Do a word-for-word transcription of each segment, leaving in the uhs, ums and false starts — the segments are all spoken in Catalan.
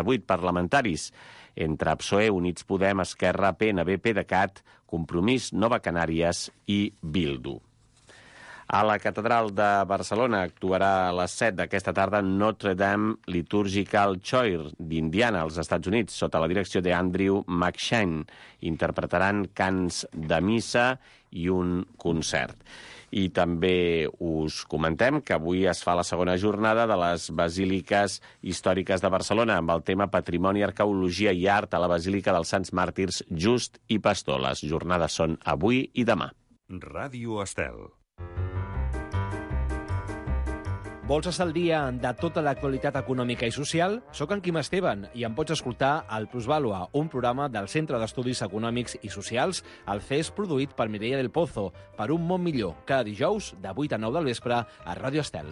vuit parlamentaris, entre P S O E, Units Podem, Esquerra, P N B, PDeCAT, Compromís, Nova Canàries i Bildu. A la Catedral de Barcelona actuarà a les set d'aquesta tarda Notre Dame Liturgical Choir d'Indiana, als Estats Units, sota la direcció d'Andrew McShane. Interpretaran cants de missa i un concert. I també us comentem que avui es fa la segona jornada de les Basíliques Històriques de Barcelona amb el tema Patrimoni, Arqueologia i Art a la Basílica dels Sants Màrtirs Just i Pastor. Les jornades són avui i demà. Ràdio Estel. Vols estar al dia de tota l'actualitat econòmica i social? Soc en Quim Esteban i em pots escoltar al Plusvàlua, un programa del Centre d'Estudis Econòmics i Socials, el C E S produït per Mireia del Pozo, per un món millor, cada dijous de vuit a nou del vespre a Ràdio Estel.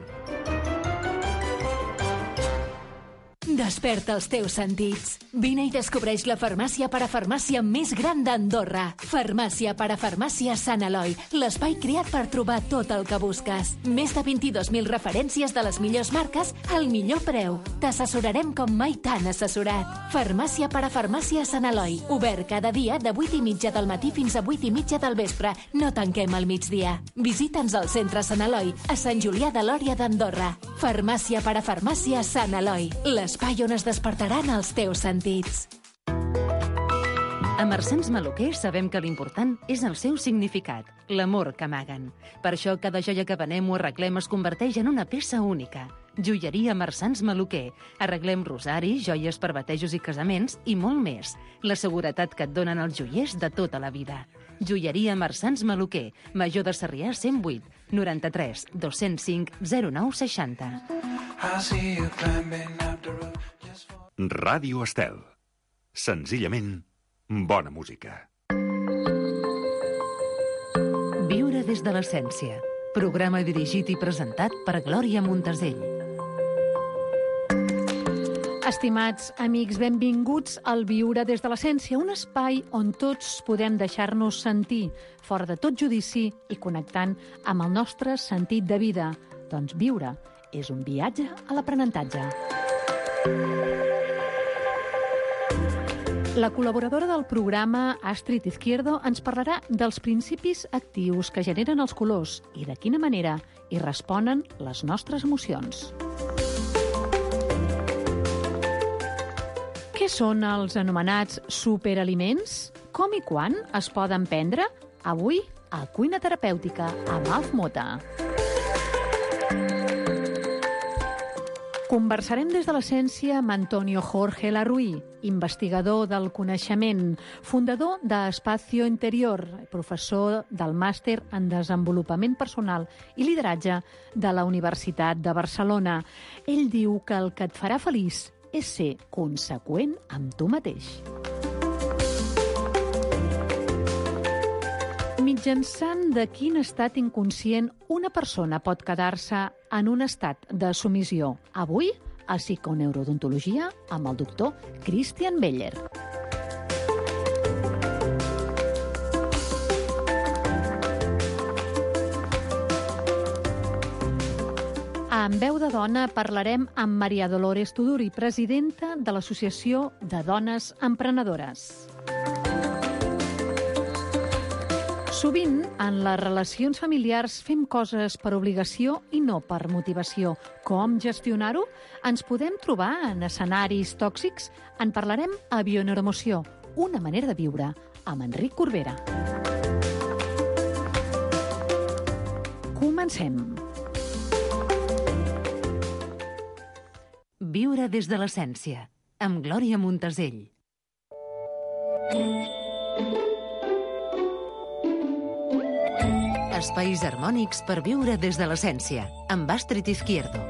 Desperta els teus sentits. Vine i descobreix la farmàcia parafarmàcia més gran d'Andorra. Farmàcia parafarmàcia Sant Eloi, l'espai creat per trobar tot el que busques. Més de vint-i-dos mil referències de les millors marques al millor preu. T'assessorarem com mai t'han assessorat. Farmàcia parafarmàcia Sant Eloi, obert cada dia de vuit i mitja del matí fins a vuit i mitja del vespre. No tanquem al migdia. Visita'ns al centre Sant Eloi, a Sant Julià de Lòria d'Andorra. Farmàcia parafarmàcia Sant Eloi, l'espai on es despertaran els teus sentits. A Marsans Maluquer sabem que l'important és el seu significat, l'amor que amaguen. Per això cada joia que venem o arreglem es converteix en una peça única. Joieria Marsans Maluquer. Arreglem rosaris, joies per batejos i casaments i molt més. La seguretat que et donen els joiers de tota la vida. Joieria Marsans Maluquer, Major de Sarrià cent vuit, noranta-tres, dos-cents cinc, zero nou seixanta. Ràdio Estel. Senzillament, bona música. Viure des de l'essència. Programa dirigit i presentat per Glòria Montesell. Estimats amics, benvinguts al Viure des de l'essència, un espai on tots podem deixar-nos sentir, fora de tot judici i connectant amb el nostre sentit de vida. Doncs viure és un viatge a l'aprenentatge. La col·laboradora del programa, Astrid Izquierdo, ens parlarà dels principis actius que generen els colors i de quina manera hi responen les nostres emocions. Què són els anomenats superaliments? Com i quan es poden prendre? Avui, a Cuina Terapèutica, amb Alf Mota. Conversarem des de l'essència amb Antonio Jorge Larruí, investigador del coneixement, fundador d'Espacio Interior, professor del màster en desenvolupament personal i lideratge de la Universitat de Barcelona. Ell diu que el que et farà feliç és ser conseqüent amb tu mateix. Mitjançant de quin estat inconscient una persona pot quedar-se en un estat de submissió? Avui, a Psiconeurodontologia, amb el doctor Christian Beller. En Veu de Dona parlarem amb Maria Dolores Tuduri, presidenta de l'Associació de Dones Emprenedores. Sovint, en les relacions familiars fem coses per obligació i no per motivació. Com gestionar-ho? Ens podem trobar en escenaris tòxics? En parlarem a Bioneuroemoció, una manera de viure, amb Enric Corbera. Comencem. Viure des de l'essència, amb Glòria Montesell. Espais harmònics per viure des de l'essència, amb Astrid Izquierdo.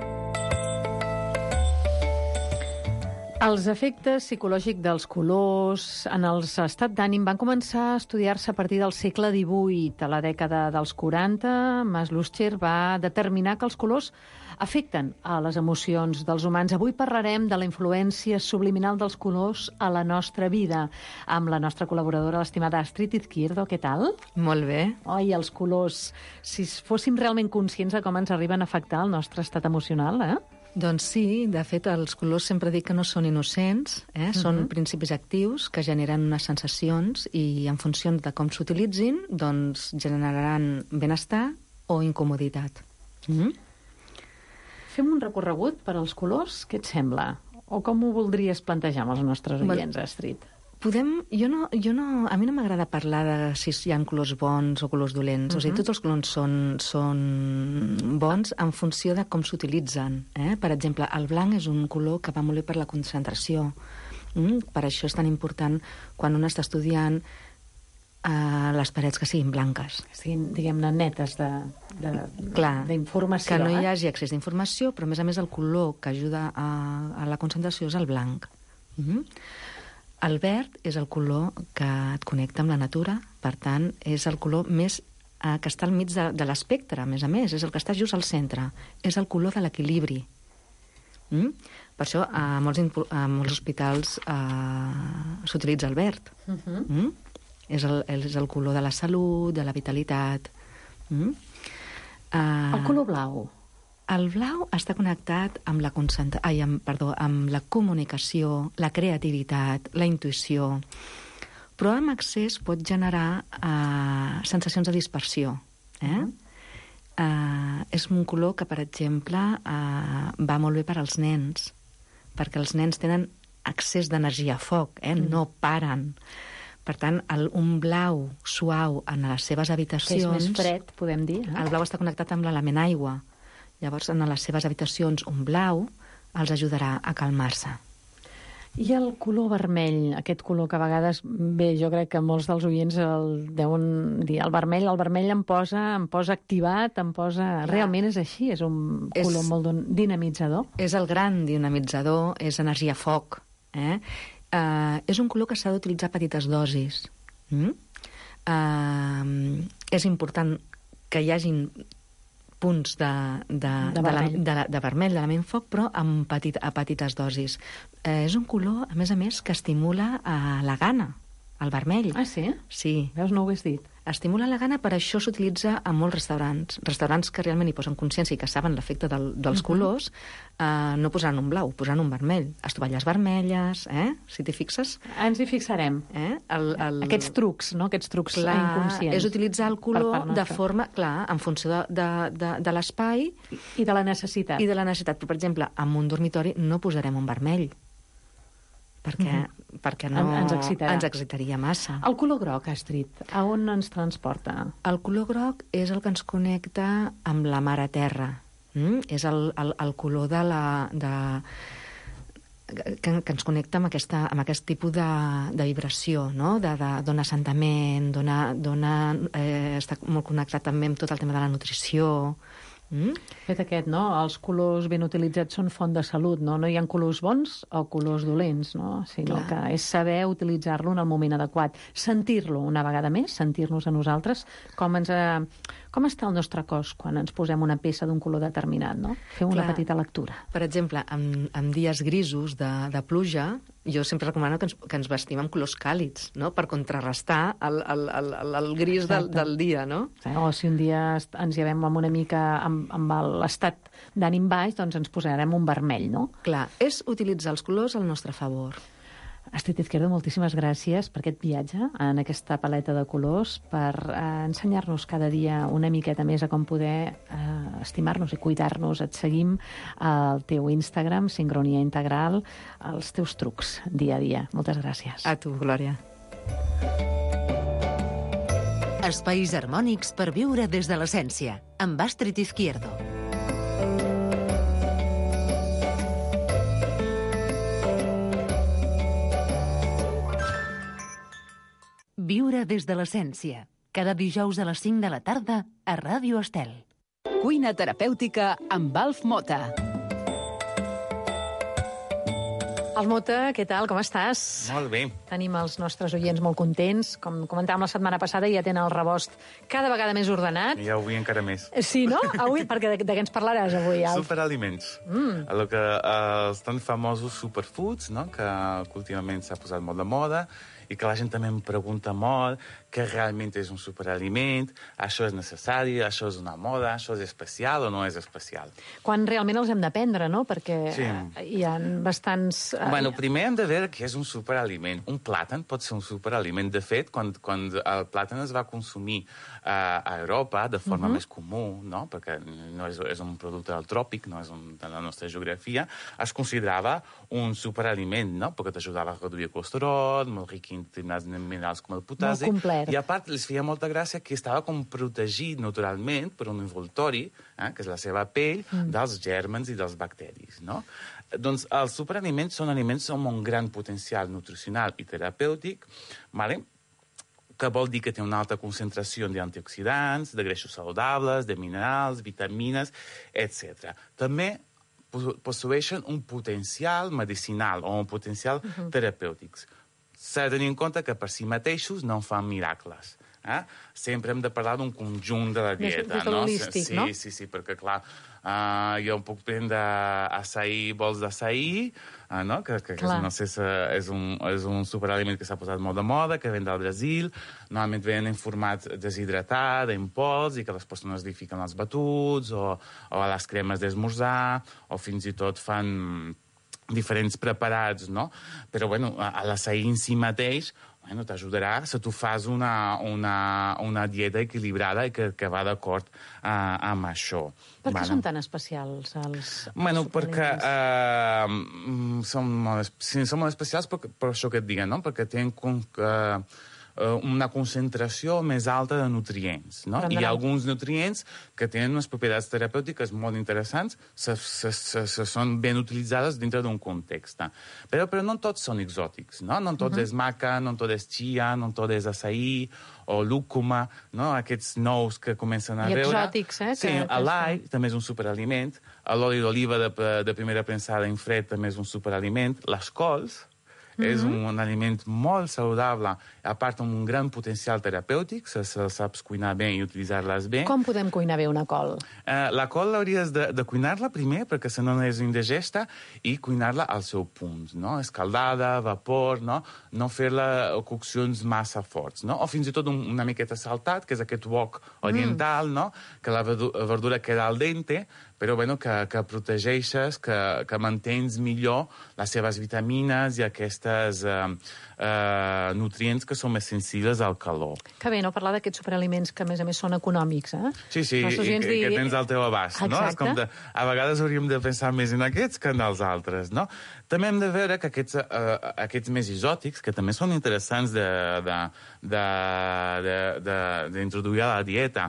Els efectes psicològics dels colors en els estat d'ànim van començar a estudiar-se a partir del segle divuit. A la dècada dels quaranta, Maslucher va determinar que els colors afecten a les emocions dels humans. Avui parlarem de la influència subliminal dels colors a la nostra vida, amb la nostra col·laboradora, l'estimada Astrid Izquierdo. Què tal? Molt bé. Oi, els colors, si fóssim realment conscients de com ens arriben a afectar el nostre estat emocional, eh? Doncs sí, de fet, els colors sempre dic que no són innocents, eh? Són uh-huh. principis actius que generen unes sensacions i en funció de com s'utilitzin, doncs generaran benestar o incomoditat. Mm-hmm. Fem un recorregut per als colors, què et sembla? O com ho voldries plantejar amb els nostres oients, Astrid? Podem... Jo no, jo no... A mi no m'agrada parlar de si hi ha colors bons o colors dolents. Uh-huh. O sigui, tots els colors són, són bons en funció de com s'utilitzen. Eh? Per exemple, el blanc és un color que va molt bé per la concentració. Mm? Per això és tan important quan un està estudiant eh, les parets que siguin blanques. Que siguin, diguem-ne, netes de, de, Clar, d'informació. Que no eh? hi hagi excés d'informació, però a més a més el color que ajuda a, a la concentració és el blanc. Mm-hmm. El verd és el color que et connecta amb la natura, per tant, és el color més eh, que està al mig de, de l'espectre, a més a més, és el que està just al centre. És el color de l'equilibri. Mm? Per això a molts, a molts hospitals eh, s'utilitza el verd. Uh-huh. Mm? És, el, és el color de la salut, de la vitalitat. Mm? Uh, el color blau. El blau està connectat amb la, concentra... Ai, amb, perdó, amb la comunicació, la creativitat, la intuïció, però amb excés pot generar eh, sensacions de dispersió. Eh? Uh-huh. eh, és un color que, per exemple, eh, va molt bé per als nens, perquè els nens tenen excés d'energia a foc, eh? Mm. no paren. Per tant, el, un blau suau en les seves habitacions... Que és més fred, podem dir. Eh? El blau està connectat amb l'element aigua. Llavors, en les seves habitacions, un blau els ajudarà a calmar-se. I el color vermell, aquest color que a vegades, bé, jo crec que molts dels oients el deuen dir, el vermell, el vermell em posa, em posa activat, em posa... Clar. Realment és així, és un és, color molt dinamitzador. És el gran dinamitzador, és energia foc. Eh? Uh, és un color que s'ha d'utilitzar a petites dosis. Mm? Uh, és important que hi hagin punts de, de, de, vermell. de, la, de, de vermell, de l'element foc, però amb petit, a petites dosis. Eh, és un color, a més a més, que estimula eh, la gana, el vermell. Ah, sí? Sí. Veus, no ho hagués dit. Estimula la gana, per això s'utilitza a molts restaurants. Restaurants que realment hi posen consciència i que saben l'efecte del, dels uh-huh. colors, eh, no posaran un blau, posaran un vermell. Estovalles vermelles, eh? Si t'hi fixes. Ens hi fixarem. Eh? El, el... Aquests trucs, no? Aquests trucs clar, inconscients. És utilitzar el color de forma, clar, en funció de, de, de, de l'espai... I de la necessitat. I de la necessitat. Però, per exemple, en un dormitori no posarem un vermell, perquè, uh-huh. perquè no, ens, ens excitaria massa. El color groc, Astrid, a on ens transporta? El color groc és el que ens connecta amb la mare terra. Mm? És el, el, el color de la... De, que, que ens connecta amb, aquesta, amb aquest tipus de, de vibració, no? de, de, dona assentament, dona, dona, eh, està molt connectat també amb tot el tema de la nutrició. Mm? Fet aquest, no? Els colors ben utilitzats són font de salut, no? No hi ha colors bons o colors dolents, no? Sinó Clar. que és saber utilitzar-lo en el moment adequat. Sentir-lo una vegada més, sentir-nos a nosaltres, com ens... Eh, com està el nostre cos quan ens posem una peça d'un color determinat, no? Fem una Clar. petita lectura. Per exemple, en, en dies grisos de, de pluja, jo sempre recomano que ens, que ens vestim amb colors càlids, no? Per contrarrestar el, el, el, el, el gris del, del dia, no? O si un dia ens llevem amb una mica amb, amb l'estat d'ànim baix, doncs ens posarem un vermell, no? Clar, és utilitzar els colors al nostre favor. Astrid Izquierdo, moltíssimes gràcies per aquest viatge en aquesta paleta de colors, per eh, ensenyar-nos cada dia una miqueta més a com poder eh, estimar-nos i cuidar-nos. Et seguim al teu Instagram, Sincronia Integral, els teus trucs dia a dia. Moltes gràcies. A tu, Glòria. Espais harmònics per viure des de l'essència, amb Astrid Izquierdo. Viure des de l'essència. Cada dijous a les cinc de la tarda a Ràdio Estel. Cuina terapèutica amb Alf Mota. Almota, què tal? Com estàs? Molt bé. Tenim els nostres oients molt contents. Com comentàvem la setmana passada, ja tenen el rebost cada vegada més ordenat. I avui encara més. Sí, no? Avui, perquè de, de què ens parlaràs avui, Alf? Superaliments. Mm. El que, els tan famosos superfoods, no? Que, que últimament s'ha posat molt de moda i que la gent també em pregunta molt què realment és un superaliment, això és necessari, això és una moda, això és especial o no és especial. Quan realment els hem de prendre, no? Perquè sí. hi ha bastants... Bueno, primer hem de veure què és un superaliment. Un plàtan pot ser un superaliment. De fet, quan, quan el plàtan es va consumir uh, a Europa de forma uh-huh. més comú, no? Perquè no és, és un producte del tròpic, no és un, de la nostra geografia, es considerava un superaliment, no? Perquè t'ajudava a reduir el colesterol, molt ric en determinats minerals com el potassi. Molt complet. I a part, els feia molta gràcia que estava com protegit naturalment per un envoltori, eh, que és la seva pell, mm. dels gèrmens i dels bacteris, no? Doncs els superaliments són aliments amb un gran potencial nutricional i terapèutic, vale? Que vol dir que té una alta concentració d'antioxidants, de greixos saludables, de minerals, vitamines, etcètera. També posseeixen un potencial medicinal o un potencial uh-huh. terapèutic. S'ha de tenir en compte que per si mateixos no en fan miracles. Eh? Sempre hem de parlar d'un conjunt de la dieta. Més holístic, sí, no? Sí, sí, perquè, clar, uh, jo puc prendre açaí, bols d'açaí, uh, no? que, que, que no sé, és un, és un superaliment que s'ha posat molt de moda, que ven del Brasil, normalment venen en format deshidratat, en pols, i que les persones li fiquen als batuts, o, o a les cremes d'esmorzar, o fins i tot fan diferents preparats, no? Però, bueno, a l'açaí en si mateix, bueno, t'ajudarà si tu fas una, una, una dieta equilibrada i que, que va d'acord uh, amb això. Per què vale. són tan especials els Bueno, perquè uh, són, molt, sí, són molt especials per, per això que et diguen, no? Perquè tenen com que una concentració més alta de nutrients, no? I hi ha alguns nutrients que tenen unes propietats terapèutiques molt interessants, se, se, se, se són ben utilitzades dintre d'un context. Però, però no tots són exòtics, no? No tot uh-huh. és maca, no tot és chia, no tot és açaí o lúcuma, no? Aquests nous que comencen a I veure. I exòtics, eh? Sí, que, l'all també és un superaliment, l'oli d'oliva de, de primera prensada en fred també és un superaliment, les cols, Mm-hmm. és un, un aliment molt saludable, a part amb un gran potencial terapèutic, se, se saps cuinar bé i utilitzar-les bé. Com podem cuinar bé una col? Uh, la col hauries de, de cuinar-la primer, perquè si no és indigesta, i cuinar-la al seu punt, no? Escaldada, vapor, no? No fer-la coccions massa forts, no? O fins i tot un, una miqueta saltat, que és aquest wok oriental, mm. no? Que la verdura queda al dente, però bueno, que, que protegeixes, que, que mantens millor les seves vitamines i aquestes eh, eh, nutrients que són més sensibles al calor. Que bé, no? Parlar d'aquests superaliments que, a més a més, són econòmics, eh? Sí, sí, i que, digui... que tens al teu abast, Exacte. no? És com de, a vegades hauríem de pensar més en aquests que en els altres, no? També hem de veure que aquests, uh, aquests més exòtics, que també són interessants d'introduir a la dieta,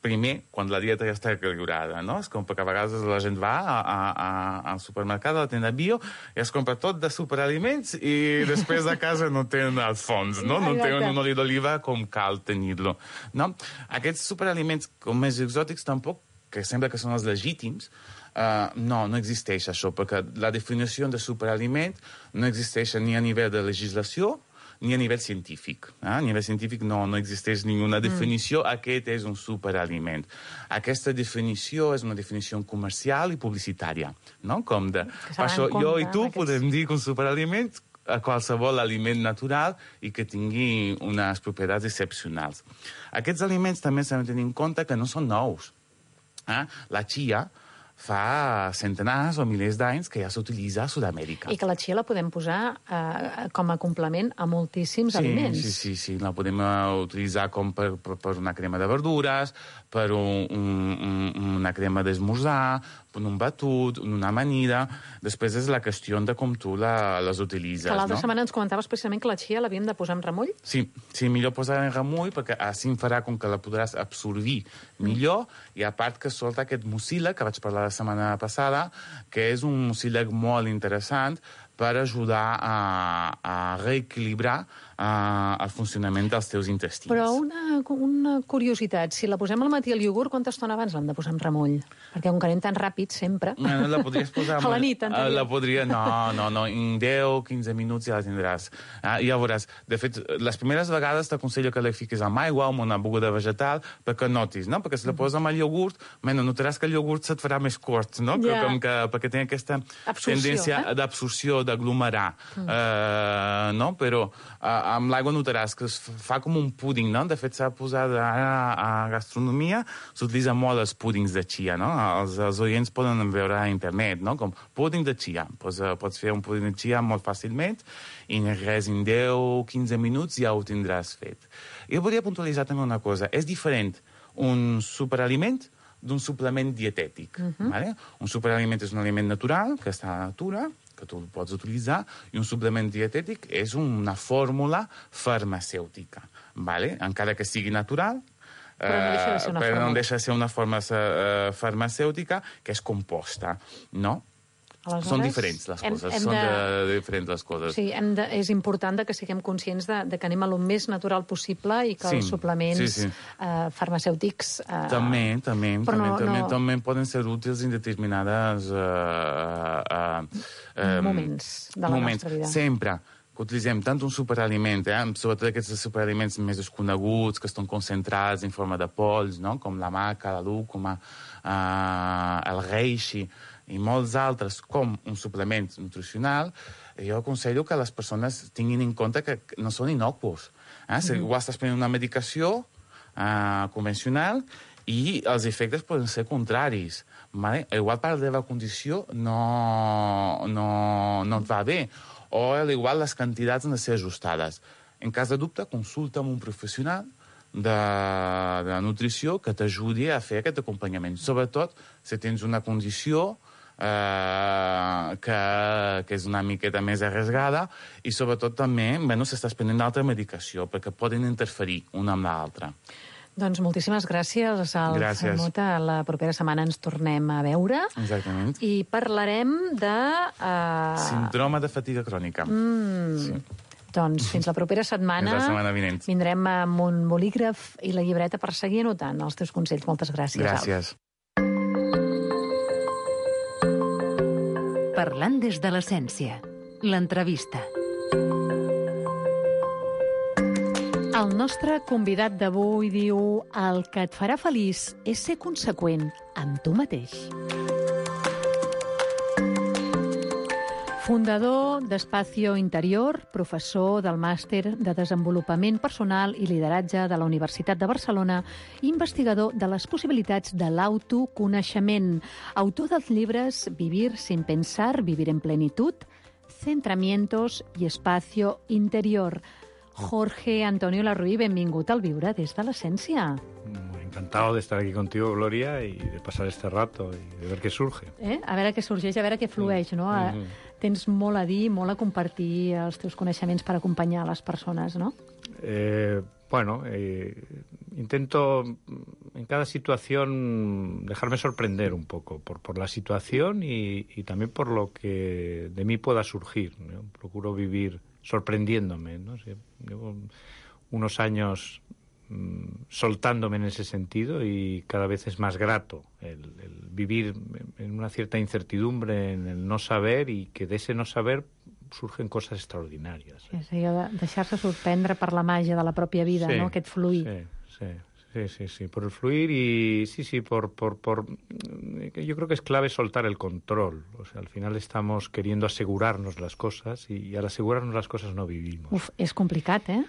primer, quan la dieta ja està equilibrada, no? És com perquè a vegades la gent va a, a, a, al supermercat, a la tenda bio, i es compra tot de superaliments i després a casa no tenen els fons, no? No tenen un oli d'oliva com cal tenir-lo, no? Aquests superaliments com més exòtics tampoc, que sembla que són els legítims, Uh, no, no existeix això, perquè la definició de superaliment no existeix ni a nivell de legislació ni a nivell científic. Eh? A nivell científic no, no existeix ninguna definició. Mm. Aquest és un superaliment. Aquesta definició és una definició comercial i publicitària, no? Com de... Per això jo i tu aquests... podem dir que un superaliment a qualsevol aliment natural i que tingui unes propietats excepcionals. Aquests aliments també s'han de tenir en compte que no són nous. Eh? La chia fa centenars o milers d'anys que ja s'utilitza a Sud-amèrica. I que la chia la podem posar eh, com a complement a moltíssims sí, aliments. Sí, sí, sí. La podem uh, utilitzar com per, per, per una crema de verdures, per un, un, una crema d'esmorzar, per un batut, una amanida. Després és la qüestió de com tu la, les utilitzes. Que l'altra no? setmana ens comentaves precisament que la chia l'havíem de posar en remull? Sí, sí, millor posar en remull, perquè així farà com que la podràs absorbir millor, mm. i a part que solta aquest mucílag, que vaig parlar la setmana passada, que és un mucílag molt interessant per ajudar a, a reequilibrar uh, el funcionament dels teus intestins. Però una, una curiositat, si la posem al matí al iogurt, quanta estona abans l'hem de posar en remull? Perquè com que anem tan ràpid, sempre... Bueno, la podries posar... a la nit, la podria... No, no, no, en deu quinze minuts ja la tindràs. Ah, ja veuràs. De fet, les primeres vegades t'aconsello que la fiquis amb aigua o amb una beguda vegetal perquè notis, no? Perquè si la poses amb el iogurt, bueno, notaràs que el iogurt se't farà més curt, no? Yeah. Que, com que, perquè té aquesta absorció, tendència eh? d'absorció, d'aglomerar, mm. eh, no? Però eh, amb l'aigua notaràs que es fa com un púding, no? De fet, s'ha posat ara a gastronomia, s'utilitza molt els púdings de chia, no? Els, els oients poden veure a internet, no? Com púding de chia. Pues, uh, pots fer un púding de chia molt fàcilment i res, en deu quinze minuts ja ho tindràs fet. Jo volia puntualitzar també una cosa. És diferent un superaliment d'un suplement dietètic. Uh-huh. Vale? Un superaliment és un aliment natural, que està a la natura, que tu pots utilitzar, i un suplement dietètic és una fórmula farmacèutica. Vale? Encara que sigui natural, però no deixa de ser una, però forma... no deixa de ser una forma uh, farmacèutica que és composta, no? Aleshores, són diferents les hem, coses, hem són de... de, diferents les coses. Sí, hem de, és important que siguem conscients de, de que anem a lo més natural possible i que sí, els suplements sí, sí. Uh, farmacèutics... Uh, també, també, però també, no, també, no... també poden ser útils en determinades uh, uh, uh, moments de la moments. nostra vida. Sempre que utilitzem tant un superaliment, eh, sobretot aquests superaliments més desconeguts, que estan concentrats en forma de pols, no? Com la maca, la lúcuma, uh, el reishi, i molts altres, com un suplement nutricional, jo aconsello que les persones tinguin en compte que no són inocuos. Eh? Si igual estàs prenent una medicació eh, convencional i els efectes poden ser contraris. Vale? Igual per la teva condició no, no, no et va bé, o igual les quantitats han de ser ajustades. En cas de dubte, consulta amb un professional de, de nutrició que t'ajudi a fer aquest acompanyament. Sobretot si tens una condició Uh, que, que és una miqueta més arriscada i sobretot també, bueno, si estàs prenent altra medicació, perquè poden interferir una amb l'altra. Doncs moltíssimes gràcies, Alf Mota. La propera setmana ens tornem a veure. Exactament. I parlarem de... Uh... Síndrome de fatiga crònica. Mm. Sí. Doncs fins la propera setmana, la setmana vinent. Vindrem amb un bolígraf i la llibreta per seguir anotant els teus consells. Moltes gràcies, Gràcies. Alf. Parlant des de l'essència. L'entrevista. El nostre convidat d'avui diu: el que et farà feliç és ser conseqüent amb tu mateix. Fundador d'Espacio Interior, professor del Màster de Desenvolupament Personal i Lideratge de la Universitat de Barcelona, investigador de les possibilitats de l'autoconeixement, autor dels llibres Vivir sin pensar, Vivir en plenitud, Centramientos i Espacio Interior. Jorge Antonio Larruy, benvingut al Viure des de l'Essència. Encantado de estar aquí contigo, Gloria, y de pasar este rato y de ver qué surge. Eh? A veure què sorgeix, a veure què flueix, no? Mm-hmm. Tens molt a dir, molt a compartir els teus coneixements per acompanyar les persones, no? Eh, bueno, eh, intento en cada situación dejarme sorprender un poco por, por la situación y, y también por lo que de mí pueda surgir, ¿no? Procuro vivir sorprendiéndome, ¿no? Llevo unos años soltándome en ese sentido y cada vez es más grato el, el vivir en una cierta incertidumbre, en el no saber, y que de ese no saber surgen cosas extraordinarias. Sí, sí, deixar-se sorprendre per la màgia de la pròpia vida, sí, ¿no? Aquest fluir. Sí, sí, sí, sí, sí, por el fluir y sí, sí, por, por, por... Yo creo que es clave soltar el control. O sea, al final estamos queriendo asegurarnos las cosas y al asegurarnos las cosas no vivimos. Uf, és complicat, eh?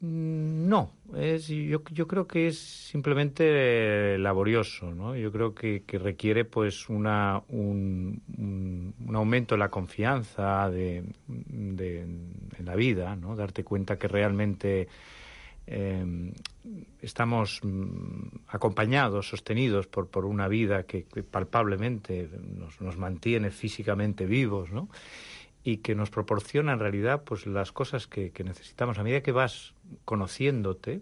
No, es, yo, yo creo que es simplemente laborioso, ¿no? Yo creo que, que requiere pues una, un, un, un aumento en la confianza de, de, en la vida, ¿no? Darte cuenta que realmente eh, estamos acompañados, sostenidos por, por una vida que, que palpablemente nos, nos mantiene físicamente vivos, ¿no? Y que nos proporciona en realidad pues las cosas que, que necesitamos. A medida que vas conociéndote,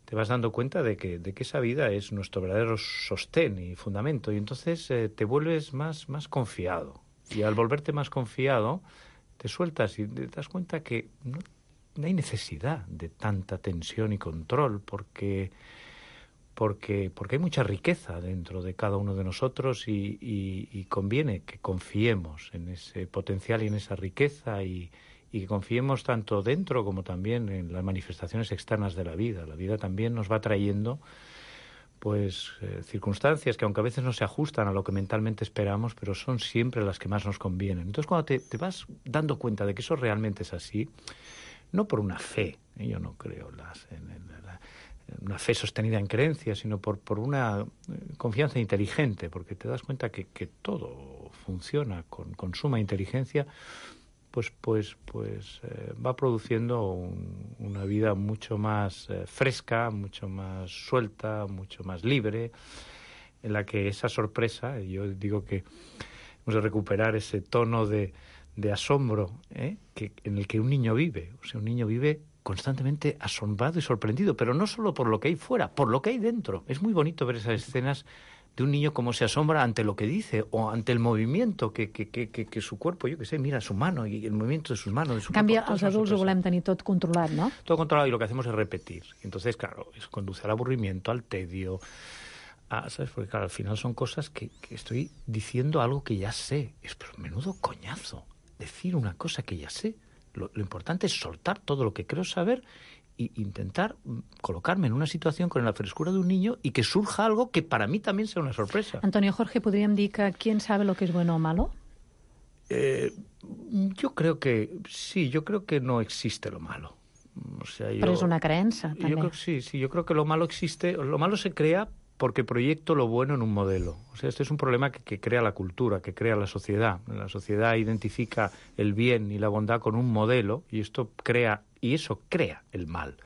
te vas dando cuenta de que, de que esa vida es nuestro verdadero sostén y fundamento, y entonces eh, te vuelves más, más confiado. Y al volverte más confiado, te sueltas y te das cuenta que no, no hay necesidad de tanta tensión y control, porque, porque, porque hay mucha riqueza dentro de cada uno de nosotros y, y, y conviene que confiemos en ese potencial y en esa riqueza y, y que confiemos tanto dentro como también en las manifestaciones externas de la vida. La vida también nos va trayendo pues eh, circunstancias que aunque a veces no se ajustan a lo que mentalmente esperamos, pero son siempre las que más nos convienen. Entonces cuando te, te vas dando cuenta de que eso realmente es así, no por una fe, ¿eh? Yo no creo las, en, en, la, en una fe sostenida en creencias, sino por, por una confianza inteligente, porque te das cuenta que, que todo funciona con, con suma inteligencia, pues pues pues eh, va produciendo un, una vida mucho más eh, fresca, mucho más suelta, mucho más libre, en la que esa sorpresa, yo digo que hemos de recuperar ese tono de, de asombro, ¿eh? que, en el que un niño vive. O sea, un niño vive constantemente asombrado y sorprendido, pero no solo por lo que hay fuera, por lo que hay dentro. Es muy bonito ver esas escenas de un niño como se asombra ante lo que dice o ante el movimiento que, que, que, que, que su cuerpo, yo qué sé, mira su mano y el movimiento de sus manos. De su en canvi, cuerpo, els adults ho volem tenir tot controlat, no? Todo controlado, y lo que hacemos es repetir. Entonces, claro, eso conduce al aburrimiento, al tedio, a, ¿sabes? Porque, claro, al final son cosas que, que estoy diciendo algo que ya sé. Es pero menudo coñazo decir una cosa que ya sé. Lo, lo importante es soltar todo lo que creo saber e intentar colocarme en una situación con la frescura de un niño y que surja algo que para mí también sea una sorpresa. Antonio Jorge, ¿podríem dir que quién sabe lo que es bueno o malo? Eh, yo creo que sí, yo creo que no existe lo malo. O sea, yo, Pero es una creença, també. Yo creo que sí, sí, yo creo que lo malo existe, lo malo se crea porque proyecto lo bueno en un modelo. O sea, este es un problema que, que crea la cultura, que crea la sociedad. La sociedad identifica el bien y la bondad con un modelo y esto crea, y eso crea el mal.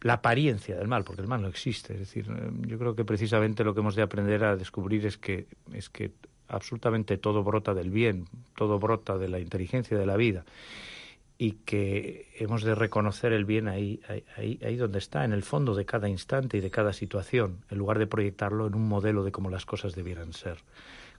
La apariencia del mal, porque el mal no existe. Es decir, yo creo que precisamente lo que hemos de aprender a descubrir es que, es que absolutamente todo brota del bien, todo brota de la inteligencia de la vida. Y que hemos de reconocer el bien ahí, ahí, ahí donde está, en el fondo de cada instante y de cada situación, en lugar de proyectarlo en un modelo de cómo las cosas debieran ser.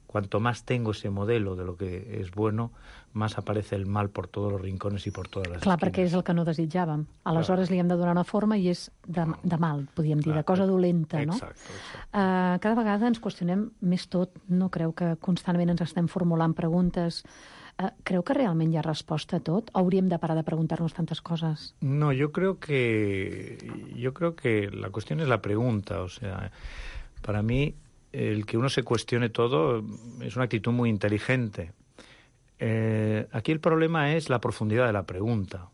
Cuanto más tengo ese modelo de lo que es bueno, más aparece el mal por todos los rincones i per totes les Clar, esquines. perquè és el que no desitjàvem. Aleshores li hem de donar una forma i és de, de mal, podríem dir, de cosa dolenta, no? Exacte, exacte. Uh, cada vegada ens qüestionem més tot. No creu que constantment ens estem formulant preguntes? Uh, creu que realment hi ha resposta a tot? O hauríem de parar de preguntar-nos tantes coses? No, yo creo que yo creo que la cuestión es la pregunta. O sea, para mí el que uno se cuestione todo es una actitud muy inteligente. Eh, aquí el problema es la profundidad de la pregunta.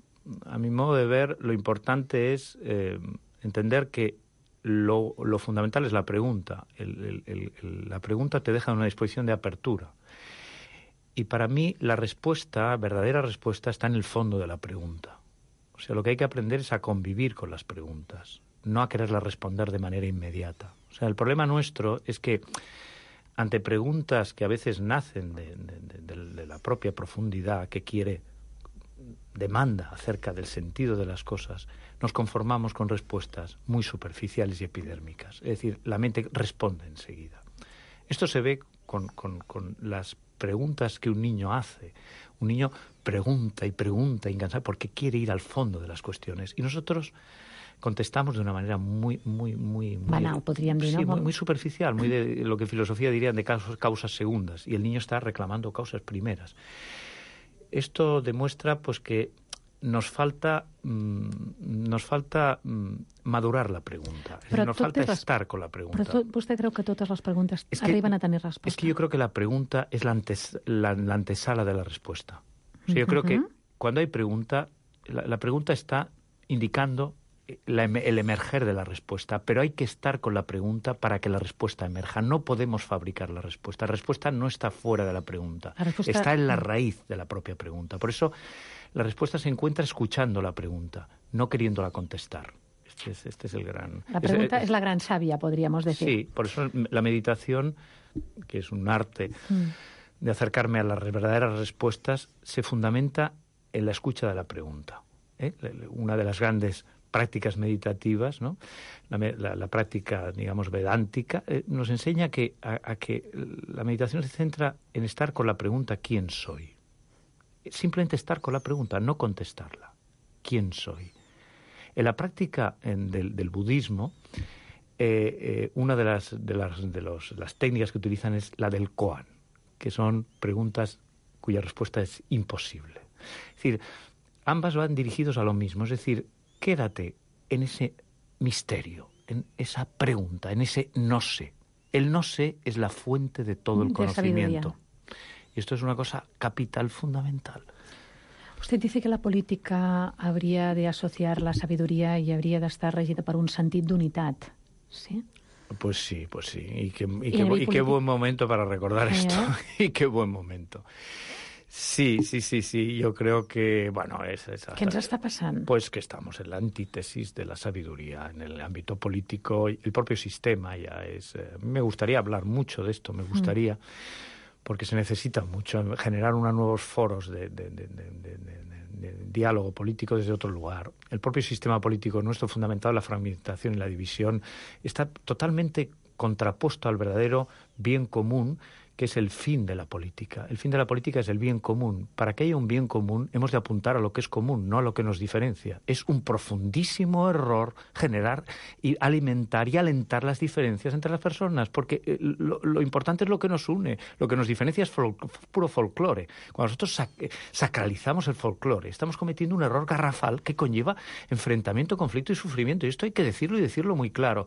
A mi modo de ver, lo importante es eh, entender que lo, lo fundamental es la pregunta. El, el, el, la pregunta te deja en una disposición de apertura. Y para mí la respuesta, verdadera respuesta, está en el fondo de la pregunta. O sea, lo que hay que aprender es a convivir con las preguntas, no a quererlas responder de manera inmediata. O sea, el problema nuestro es que ante preguntas que a veces nacen de, de, de, de la propia profundidad que quiere, demanda acerca del sentido de las cosas, nos conformamos con respuestas muy superficiales y epidérmicas. Es decir, la mente responde enseguida. Esto se ve con, con, con las preguntas que un niño hace. Un niño pregunta y pregunta incansable porque quiere ir al fondo de las cuestiones. Y nosotros contestamos de una manera muy, muy, muy... muy banal, podríem dir, sí, no? Muy, muy superficial, muy de lo que en filosofía dirían de causas, causas segundas. Y el niño está reclamando causas primeras. Esto demuestra pues que nos falta mmm, nos falta mmm, madurar la pregunta. Es decir, nos falta res... estar con la pregunta. Però tot, vostè creu que totes les preguntes es que, arriben a tenir resposta? Es que yo creo que la pregunta es la, antes, la, la antesala de la respuesta. O sea, yo uh-huh. creo que cuando hay pregunta, la, la pregunta está indicando la, el emerger de la respuesta, pero hay que estar con la pregunta para que la respuesta emerja. No podemos fabricar la respuesta. La respuesta no está fuera de la pregunta. La respuesta... Está en la raíz de la propia pregunta. Por eso la respuesta se encuentra escuchando la pregunta, no queriéndola contestar. Este es, este es el gran... La pregunta es, es la gran sabia, podríamos decir. Sí, por eso la meditación, que es un arte mm. de acercarme a las verdaderas respuestas, se fundamenta en la escucha de la pregunta. ¿eh? Una de las grandes prácticas meditativas, ¿no? la, la, la práctica, digamos, vedántica, eh, nos enseña que, a, a que la meditación se centra en estar con la pregunta ¿quién soy? simplemente estar con la pregunta, no contestarla. ¿Quién soy? En la práctica en, del, del budismo, eh, eh, una de las, de, las, de los, las técnicas que utilizan es la del koan, que son preguntas cuya respuesta es imposible. Es decir, ambas van dirigidos a lo mismo, es decir, quédate en ese misterio, en esa pregunta, en ese no sé. El no sé es la fuente de todo el de conocimiento. sabiduría. Y esto es una cosa capital, fundamental. Usted dice que la política habría de asociar la sabiduría y habría de estar regida per un sentit d'unitat, ¿sí? Pues sí, pues sí. Y qué, y ¿Y qué, a nivel y qué político? buen momento para recordar ¿Eh? esto. Y qué buen momento. Sí, sí, sí, sí. Yo creo que, bueno, es... es Què ens està passant? Pues que estamos en la antítesis de la sabiduría en el ámbito político. El propio sistema ya es... Eh, me gustaría hablar mucho de esto, me gustaría... Mm. Porque se necesita mucho generar unos nuevos foros de, de, de, de, de, de, de diálogo político desde otro lugar. El propio sistema político nuestro, fundamentado en la fragmentación y la división, está totalmente contrapuesto al verdadero bien común, que es el fin de la política. El fin de la política es el bien común. Para que haya un bien común, hemos de apuntar a lo que es común, no a lo que nos diferencia. Es un profundísimo error generar y alimentar y alentar las diferencias entre las personas, porque lo, lo importante es lo que nos une, lo que nos diferencia es fol- puro folclore. Cuando nosotros sac- sacralizamos el folclore, estamos cometiendo un error garrafal que conlleva enfrentamiento, conflicto y sufrimiento. Y esto hay que decirlo y decirlo muy claro.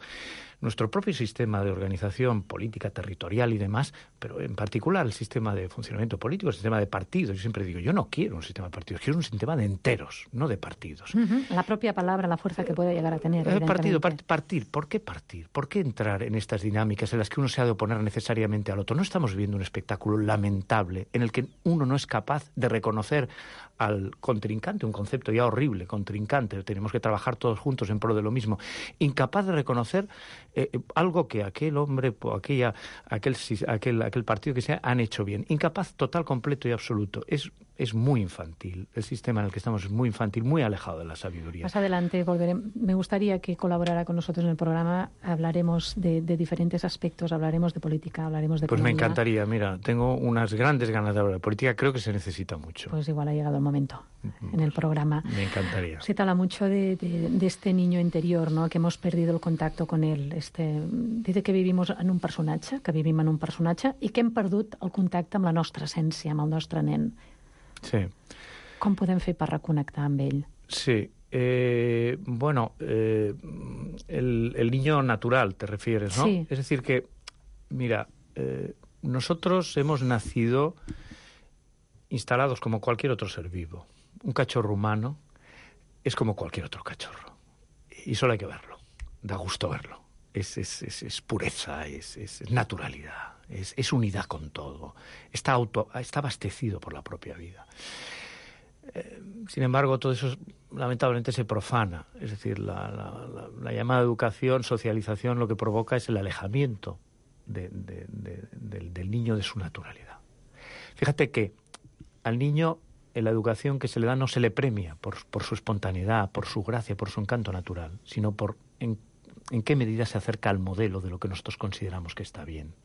Nuestro propio sistema de organización política, territorial y demás, pero en particular el sistema de funcionamiento político, el sistema de partidos. Yo siempre digo, yo no quiero un sistema de partidos, quiero un sistema de enteros, no de partidos. Uh-huh. La propia palabra, la fuerza que puede llegar a tener. Eh, partido, part- partir. ¿Por qué partir? ¿Por qué entrar en estas dinámicas en las que uno se ha de oponer necesariamente al otro? No estamos viviendo un espectáculo lamentable en el que uno no es capaz de reconocer al contrincante, un concepto ya horrible, contrincante, tenemos que trabajar todos juntos en pro de lo mismo, incapaz de reconocer eh, algo que aquel hombre, aquella, aquel, aquel, aquel partido que sea, han hecho bien. Incapaz total, completo y absoluto. Es, es muy infantil. El sistema en el que estamos es muy infantil, muy alejado de la sabiduría. Más adelante volveré. Me gustaría que colaborara con nosotros en el programa. Hablaremos de, de diferentes aspectos, hablaremos de política, hablaremos de Pues economía. me encantaría, mira, tengo unas grandes ganas de hablar de política, creo que se necesita mucho. Pues igual ha llegado el momento en el programa. Me encantaría. Se habla mucho de, de, de este niño interior, ¿no? Que hemos perdido el contacto con él. Este, dice que vivimos en un personatge, que vivim en un personatge i que hem perdut el contacte amb la nostra essència, amb el nostre nen. Sí. Com podem fer per reconnectar amb ell? Sí. Eh, bueno, eh, el, el niño natural, te refieres, ¿no? Sí. Es decir que, mira, eh, nosotros hemos nacido instalados como cualquier otro ser vivo. Un cachorro humano es como cualquier otro cachorro. Y solo hay que verlo. Da gusto verlo. Es, es, es, es pureza, es, es naturalidad, es, es unidad con todo. Está, auto, está abastecido por la propia vida. Eh, sin embargo, todo eso lamentablemente se profana. Es decir, la, la, la, la llamada educación, socialización, lo que provoca es el alejamiento de, de, de, de, del niño de su naturalidad. Fíjate que al niño en la educación que se le da no se le premia por, por su espontaneidad, por su gracia, por su encanto natural, sino por en, en qué medida se acerca al modelo de lo que nosotros consideramos que está bien.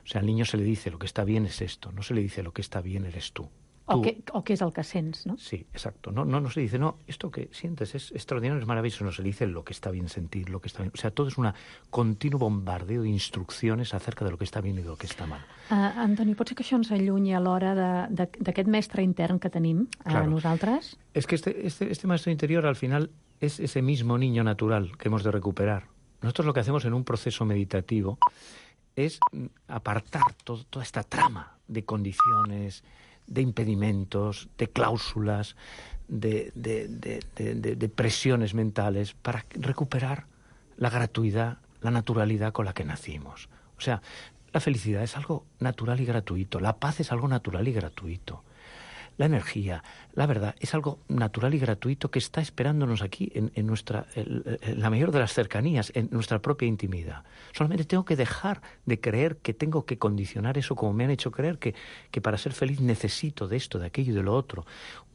O sea, al niño se le dice lo que está bien es esto, no se le dice lo que está bien eres tú. O Tú, què, o què és el que sents, no? Sí, exacto. No, no, no se dice, no, esto que sientes es extraordinario, es maravilloso. No se le dice lo que está bien sentir, lo que está bien. O sea, todo es un continuo bombardeo de instrucciones acerca de lo que está bien y de lo que está mal. Uh, Antoni, pot ser que això ens allunyi a l'hora d'aquest mestre intern que tenim a Claro. nosaltres? Es que este, este, este maestro interior al final es ese mismo niño natural que hemos de recuperar. Nosotros lo que hacemos en un proceso meditativo es apartar todo, toda esta trama de condiciones, de impedimentos, de cláusulas, de, de, de, de, de, de presiones mentales para recuperar la gratuidad, la naturalidad con la que nacimos. O sea, la felicidad es algo natural y gratuito, la paz es algo natural y gratuito. La energía, la verdad, es algo natural y gratuito que está esperándonos aquí en, en nuestra, en, en la mayor de las cercanías, en nuestra propia intimidad. Solamente tengo que dejar de creer que tengo que condicionar eso como me han hecho creer, que, que para ser feliz necesito de esto, de aquello y de lo otro.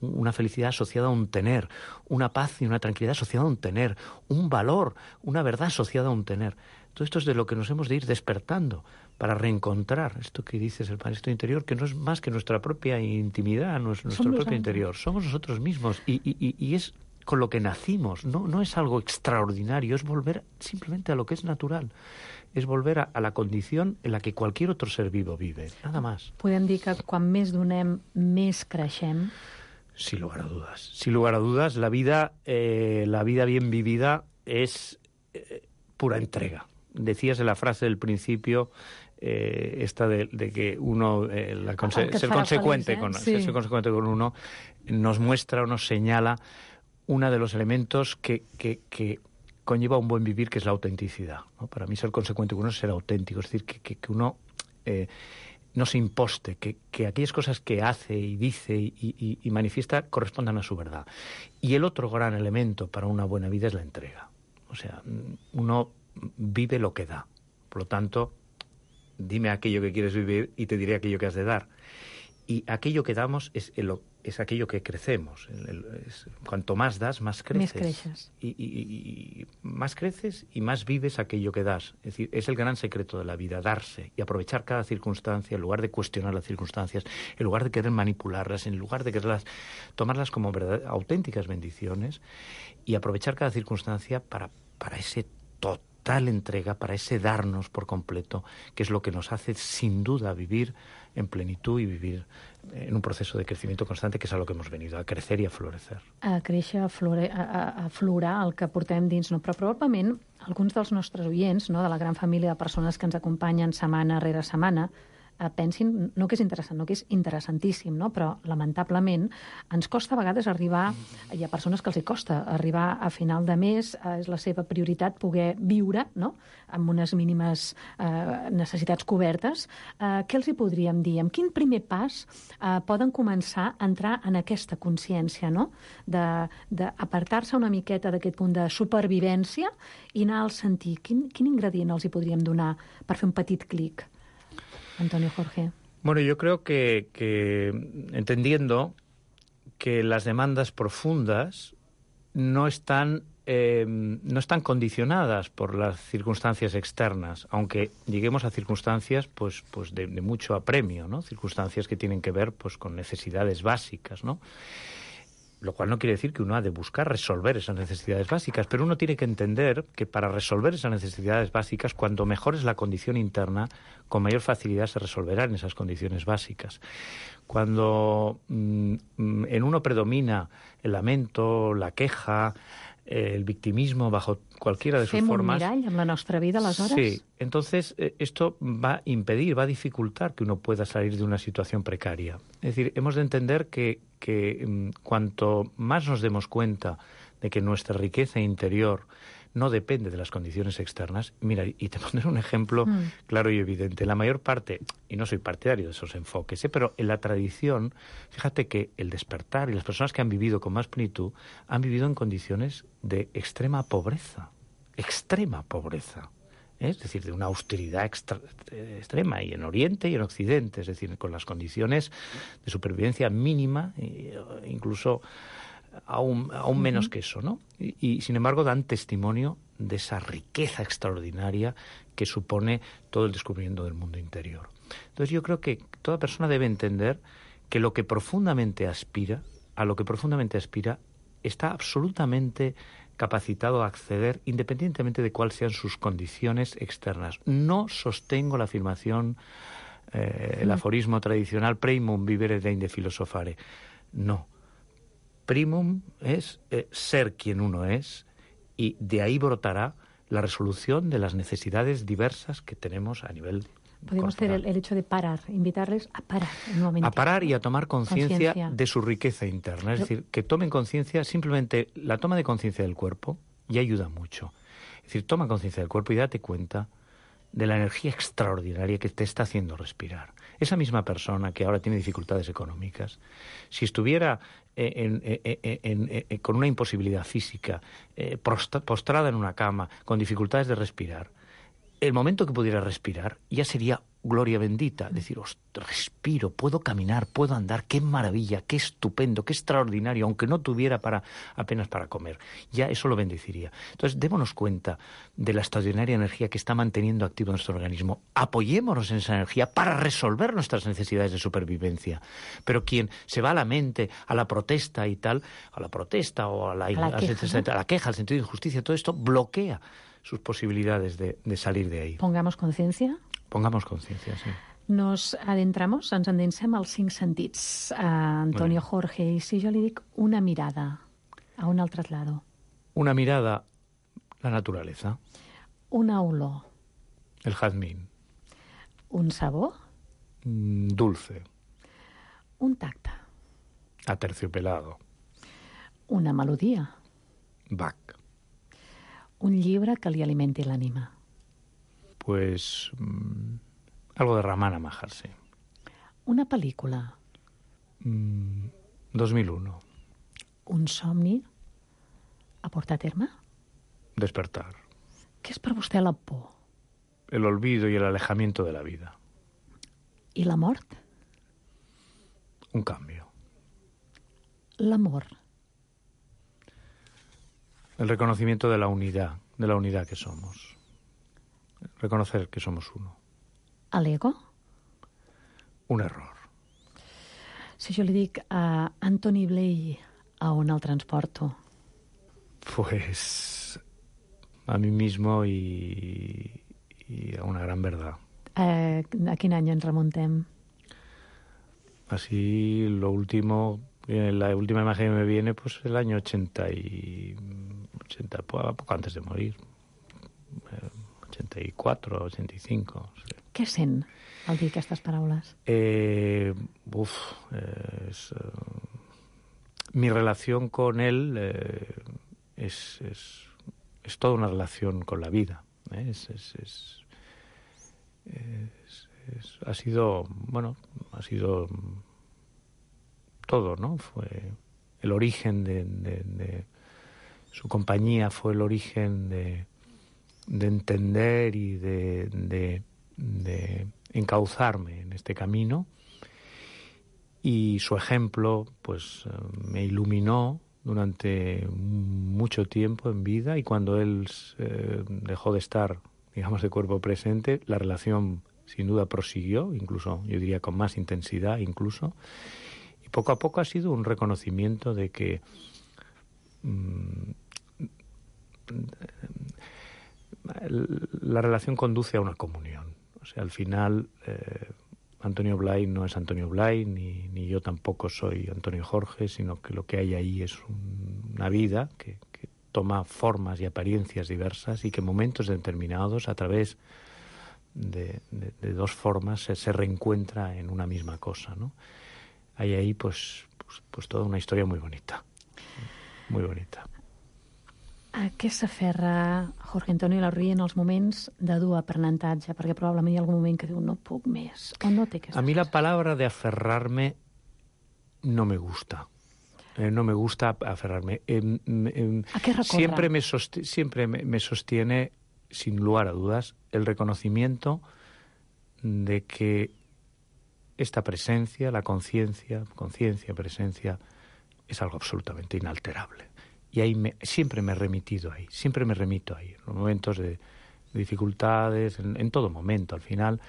Una felicidad asociada a un tener, una paz y una tranquilidad asociada a un tener, un valor, una verdad asociada a un tener. Todo esto es de lo que nos hemos de ir despertando para reencontrar esto que dices, el maestro interior, que no es más que nuestra propia intimidad, nuestro, nuestro propio nosotros. interior. Somos nosotros mismos y, y, y es con lo que nacimos, no, no es algo extraordinario, es volver simplemente a lo que es natural. És volver a, a la condició en la que cualquier otro ser vivo vive, nada más. Podem dir que quan més donem, més creixem? Sin lugar a dudas. Sin lugar a dudas, la vida, eh, la vida bien vivida es eh, pura entrega. Decías en la frase del principio, eh, esta de, de que uno, eh, la conse ser, consecuente feliz, ¿eh? con, sí. ser consecuente con uno, nos muestra o nos señala uno de los elementos que, que, que conlleva un buen vivir, que es la autenticidad, ¿no? Para mí ser consecuente con uno es ser auténtico, es decir, que, que, que uno eh, no se imposte, que, que aquellas cosas que hace y dice y, y, y manifiesta correspondan a su verdad. Y el otro gran elemento para una buena vida es la entrega. O sea, uno vive lo que da. Por lo tanto, dime aquello que quieres vivir y te diré aquello que has de dar. Y aquello que damos es, el, es aquello que crecemos. El, el, es, cuanto más das, más creces. Més creixes. Y, y, y más creces y más vives aquello que das. Es decir, es el gran secreto de la vida, darse y aprovechar cada circunstancia en lugar de cuestionar las circunstancias, en lugar de querer manipularlas, en lugar de quererlas, tomarlas como verdad, auténticas bendiciones y aprovechar cada circunstancia para, para ese total entrega, para ese darnos por completo, que es lo que nos hace sin duda vivir en plenitud y vivir en un proceso de crecimiento constante, que és a lo que hemos venido, a crecer i a florecer. A créixer, a, flore, a, a florar el que portem dins, no? Però probablement alguns dels nostres oients, no? De la gran família de persones que ens acompanyen setmana rere setmana, eh, pensin, no que és interessant, no que és interessantíssim, no? Però lamentablement ens costa a vegades arribar, hi ha persones que els hi costa arribar a final de mes, eh, és la seva prioritat poder viure, no? Amb unes mínimes eh, necessitats cobertes. Eh, què els hi podríem dir? Amb quin primer pas eh, poden començar a entrar en aquesta consciència, no? D'apartar-se una miqueta d'aquest punt de supervivència i anar al sentir. Quin, quin ingredient els hi podríem donar per fer un petit clic? Antonio Jorge. Bueno, yo creo que, que entendiendo que las demandas profundas no están, eh, no están condicionadas por las circunstancias externas, aunque lleguemos a circunstancias pues, pues de, de mucho apremio, ¿no? Circunstancias que tienen que ver pues, con necesidades básicas, ¿no? Lo cual no quiere decir que uno ha de buscar resolver esas necesidades básicas, pero uno tiene que entender que para resolver esas necesidades básicas, cuanto mejor es la condición interna, con mayor facilidad se resolverán esas condiciones básicas. Cuando mmm, en uno predomina el lamento, la queja, el victimismo bajo cualquiera de sus Fem formas... Fem un mirall en la nostra vida, aleshores? Sí, entonces eh, esto va a impedir, va a dificultar que uno pueda salir de una situación precaria. Es decir, hemos de entender que, que mm, cuanto más nos demos cuenta de que nuestra riqueza interior no depende de las condiciones externas. Mira, y te pondré un ejemplo mm. claro y evidente. La mayor parte, y no soy partidario de esos enfoques, ¿eh? pero en la tradición, fíjate que el despertar y las personas que han vivido con más plenitud han vivido en condiciones de extrema pobreza, extrema pobreza. ¿eh? Es decir, de una austeridad extra, extrema, y en Oriente y en Occidente, es decir, con las condiciones de supervivencia mínima, e incluso aún, aún menos que eso, ¿no? Y, y, sin embargo, dan testimonio de esa riqueza extraordinaria que supone todo el descubrimiento del mundo interior. Entonces, yo creo que toda persona debe entender que lo que profundamente aspira, a lo que profundamente aspira, está absolutamente capacitado a acceder independientemente de cuáles sean sus condiciones externas. No sostengo la afirmación, eh, el aforismo tradicional, primum vivere deinde filosofare. No. Primum es eh, ser quien uno es, y de ahí brotará la resolución de las necesidades diversas que tenemos a nivel Podemos hacer el, el hecho de parar, invitarles a parar un momento. A parar y a tomar conciencia de su riqueza interna. Es decir, que tomen conciencia, simplemente la toma de conciencia del cuerpo ya ayuda mucho. Es decir, toma conciencia del cuerpo y date cuenta de la energía extraordinaria que te está haciendo respirar. Esa misma persona que ahora tiene dificultades económicas, si estuviera en, en, en, en, en, con una imposibilidad física, eh, postrada en una cama, con dificultades de respirar, el momento que pudiera respirar ya sería gloria bendita, decir, respiro, puedo caminar, puedo andar, qué maravilla, qué estupendo, qué extraordinario, aunque no tuviera para apenas para comer, ya eso lo bendeciría. Entonces, démonos cuenta de la extraordinaria energía que está manteniendo activo nuestro organismo, apoyémonos en esa energía para resolver nuestras necesidades de supervivencia. Pero quien se va a la mente, a la protesta y tal, a la protesta o a la, a la, a queja, a la queja, al sentido de injusticia, todo esto bloquea sus posibilidades de, de salir de ahí. Pongamos conciencia. Pongamos conciencia, sí. Nos adentramos, ens endinsem als cinc sentits. Uh, Antonio bueno. Jorge, i si jo li dic una mirada, a un altre lado? Una mirada, la naturaleza. Una olor. El jazmín. Un sabor? Mm, dulce. Un tacte. Aterciopelado. Una melodia. Bach. Un llibre que li alimenti l'ànima. Pues mmm, algo de Ramana Maharshi. Una pel·lícula. Mm, dos mil uno. Un somni a portar a terme? Despertar. Què és per vostè la por? El olvido y el alejamiento de la vida. ¿Y la mort? Un cambio. L'amor. El reconocimiento de la unidad, de la unidad que somos. Reconocer que somos uno. ¿L'ego? Un error. Si jo li dic a Anthony Blay, a on el transporto? Pues a mí mismo y, y a una gran verdad. Eh, a quin any ens remuntem? Así, lo último, la última imagen que me viene, pues el año ochenta y ochenta, poco antes de morir. ochenta y cuatro, ochenta y cinco. Sí. Què sent al dir aquestes paraules? Eh, uf, eh, es, uh, mi relación con él eh, es, es, es toda una relación con la vida. ¿eh? Es, es, es, es, es, ha sido, bueno, ha sido todo, ¿no? Fue el origen de, de, de su compañía, fue el origen de de entender y de, de, de encauzarme en este camino, y su ejemplo pues me iluminó durante mucho tiempo en vida, y cuando él eh, dejó de estar, digamos, de cuerpo presente, la relación sin duda prosiguió, incluso yo diría con más intensidad incluso, y poco a poco ha sido un reconocimiento de que mmm, la relación conduce a una comunión. O sea, al final eh, Antonio Blay no es Antonio Blay, ni, ni yo tampoco soy Antonio Jorge, sino que lo que hay ahí es un, una vida que, que toma formas y apariencias diversas, y que en momentos determinados, a través de, de, de dos formas, se, se reencuentra en una misma cosa, ¿no? Hay ahí pues, pues, pues toda una historia muy bonita, muy bonita. A què s'aferra Jorge Antonio Larruy en els moments de dur aprenentatge? Perquè probablement hi ha algun moment que diu no puc més, o no té aquesta... A mí la palabra de aferrarme no me gusta. Eh, no me gusta aferrarme. Eh, eh, ¿A qué recorre? Siempre, me, sost siempre me, me sostiene, sin lugar a dudas, el reconocimiento de que esta presencia, la conciencia, conciencia, presencia, es algo absolutamente inalterable. Y ahí me, siempre me he remitido ahí, siempre me remito ahí. En los momentos de, de dificultades, en, en todo momento, al final,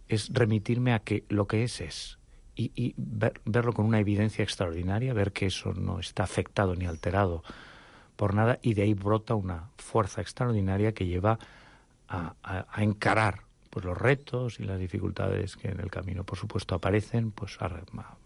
es remitirme a que lo que es es. Y, y ver, verlo con una evidencia extraordinaria, ver que eso no está afectado ni alterado por nada, y de ahí brota una fuerza extraordinaria que lleva a, a, a encarar pues, los retos y las dificultades que en el camino, por supuesto, aparecen, pues a, a, a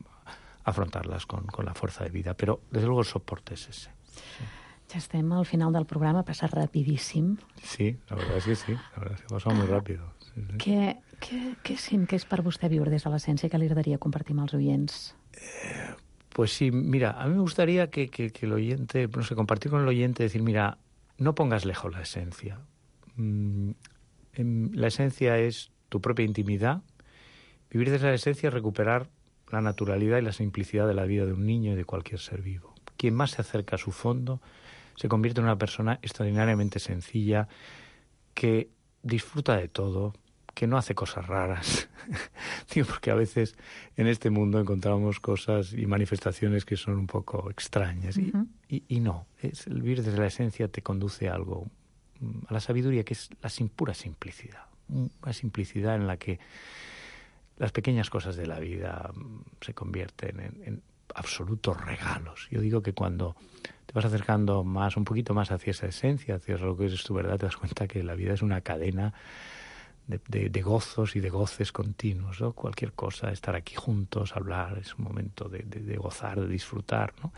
afrontarlas con, con la fuerza de vida. Pero, desde luego, el soporte es ese. Sí. Ja estem al final del programa, passa rapidíssim. Sí, la verdad es que sí, la verdad es que passa muy rápido. Sí, sí. Què, què, què sent que és per vostè viure des de l'essència que li agradaria compartir amb els oients? Eh, pues sí, mira, a mí me gustaría que, que, que el oyente, no sé, compartir con el oyente, decir, mira, no pongas lejos la esencia. Mm, la esencia es tu propia intimidad. Vivir desde la esencia es recuperar la naturalidad y la simplicidad de la vida de un niño y de cualquier ser vivo. Quien más se acerca a su fondo se convierte en una persona extraordinariamente sencilla, que disfruta de todo, que no hace cosas raras. Digo, porque a veces en este mundo encontramos cosas y manifestaciones que son un poco extrañas. Uh-huh. y, y, y no, es, el vivir desde la esencia te conduce a algo, a la sabiduría, que es la sin, pura simplicidad. Una simplicidad en la que las pequeñas cosas de la vida se convierten en, en absolutos regalos. Yo digo que cuando te vas acercando más, un poquito más hacia esa esencia, hacia lo que es tu verdad, te das cuenta que la vida es una cadena de, de, de gozos y de goces continuos, ¿no? Cualquier cosa, estar aquí juntos, hablar, es un momento de, de, de gozar, de disfrutar, ¿no?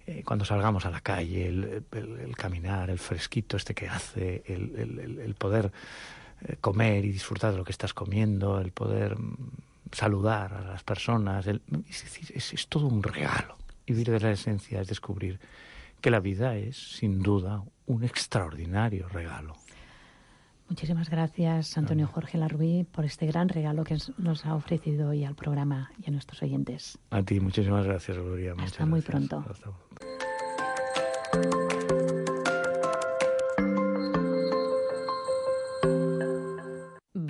Eh, cuando salgamos a la calle, el, el, el caminar, el fresquito este que hace, el, el, el poder eh, comer y disfrutar de lo que estás comiendo, el poder saludar a las personas, el, es decir, es, es todo un regalo. Y vivir de la esencia es descubrir que la vida es, sin duda, un extraordinario regalo. Muchísimas gracias, Antonio Jorge Larruy, por este gran regalo que nos ha ofrecido hoy al programa y a nuestros oyentes. A ti, muchísimas gracias, Gloria. Muchas Hasta muy gracias. pronto. Hasta...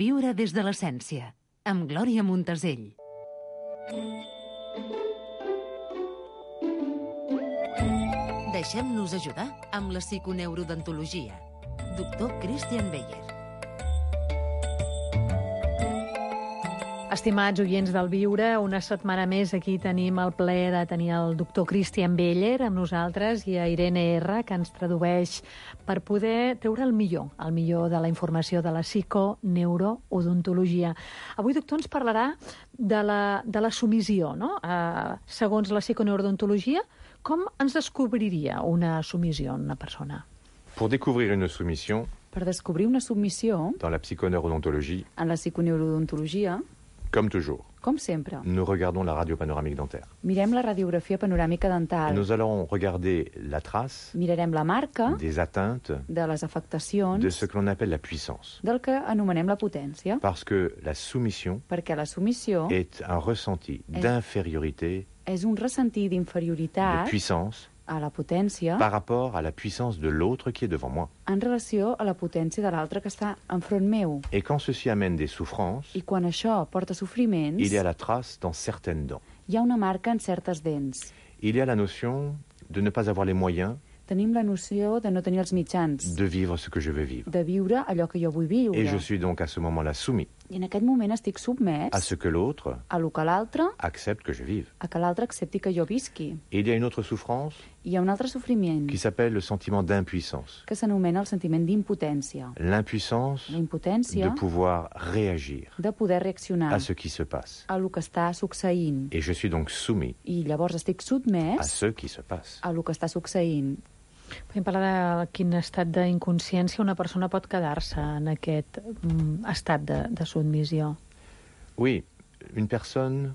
Viure des de l'essència, amb Glòria Montesell. Deixem-nos ajudar amb la psiconeurodontologia. Doctor Christian Beyer. Estimats oients del Viure, una setmana més aquí tenim el plaer de tenir el doctor Christian Beyer amb nosaltres i a Irene R, que ens tradueix per poder treure el millor, el millor de la informació de la psiconeurodontologia. Avui, doctor, ens parlarà de la, de la submissió, no? Uh, segons la psiconeurodontologia, com ens descobriria una submissió en una persona? Pour découvrir une soumission, per descobrir una submissió, dans la psychoneurodontologie, en la psiconeurodontologia, comme toujours, com sempre, nous regardons la radio panoramique dentaire. Mirem la radiografia panoràmica dental. Et nous allons regarder la trace Mirarem la marca des atteintes de les afectacions de ce que l'on appelle la puissance. Del que anomenem la potència. Parce que la soumission Perquè la submissió est un ressenti d'infériorité, és un ressenti d'inferioritat, de puissance, a la potència par rapport à la puissance de l'autre qui est devant moi. En relació a la potència de l'altre que està enfront meu. Et quand ceci amène des souffrances, I quan això porta sofriments, il y a la trace dans certaines dents. Hi ha una marca en certes dents. Il y a la notion de ne pas avoir les moyens Tenim la noció de no tenir els mitjans, de vivre ce que je veux vivre. de viure allò que jo vull viure. Et je suis donc à ce moment-là soumis I en aquest moment estic submès à ce que l'autre a lo que l'altre, accepte que je vive. a que l'altre accepti que jo visqui. Et il y a une autre souffrance Hi ha un altre sofriment qui s'appelle le sentiment d'impuissance. que s'anomena el sentiment d'impotència. L'impuissance La impotència de pouvoir réagir de poder reaccionar à ce qui se passe. a lo que està succeint. Et je suis donc soumis I llavors estic à sotmès ce qui se passe. a lo que està succeint. Podem parlar de quin estat d'inconsciència una persona pot quedar-se en aquest mm, estat de, de submissió. Oui, une personne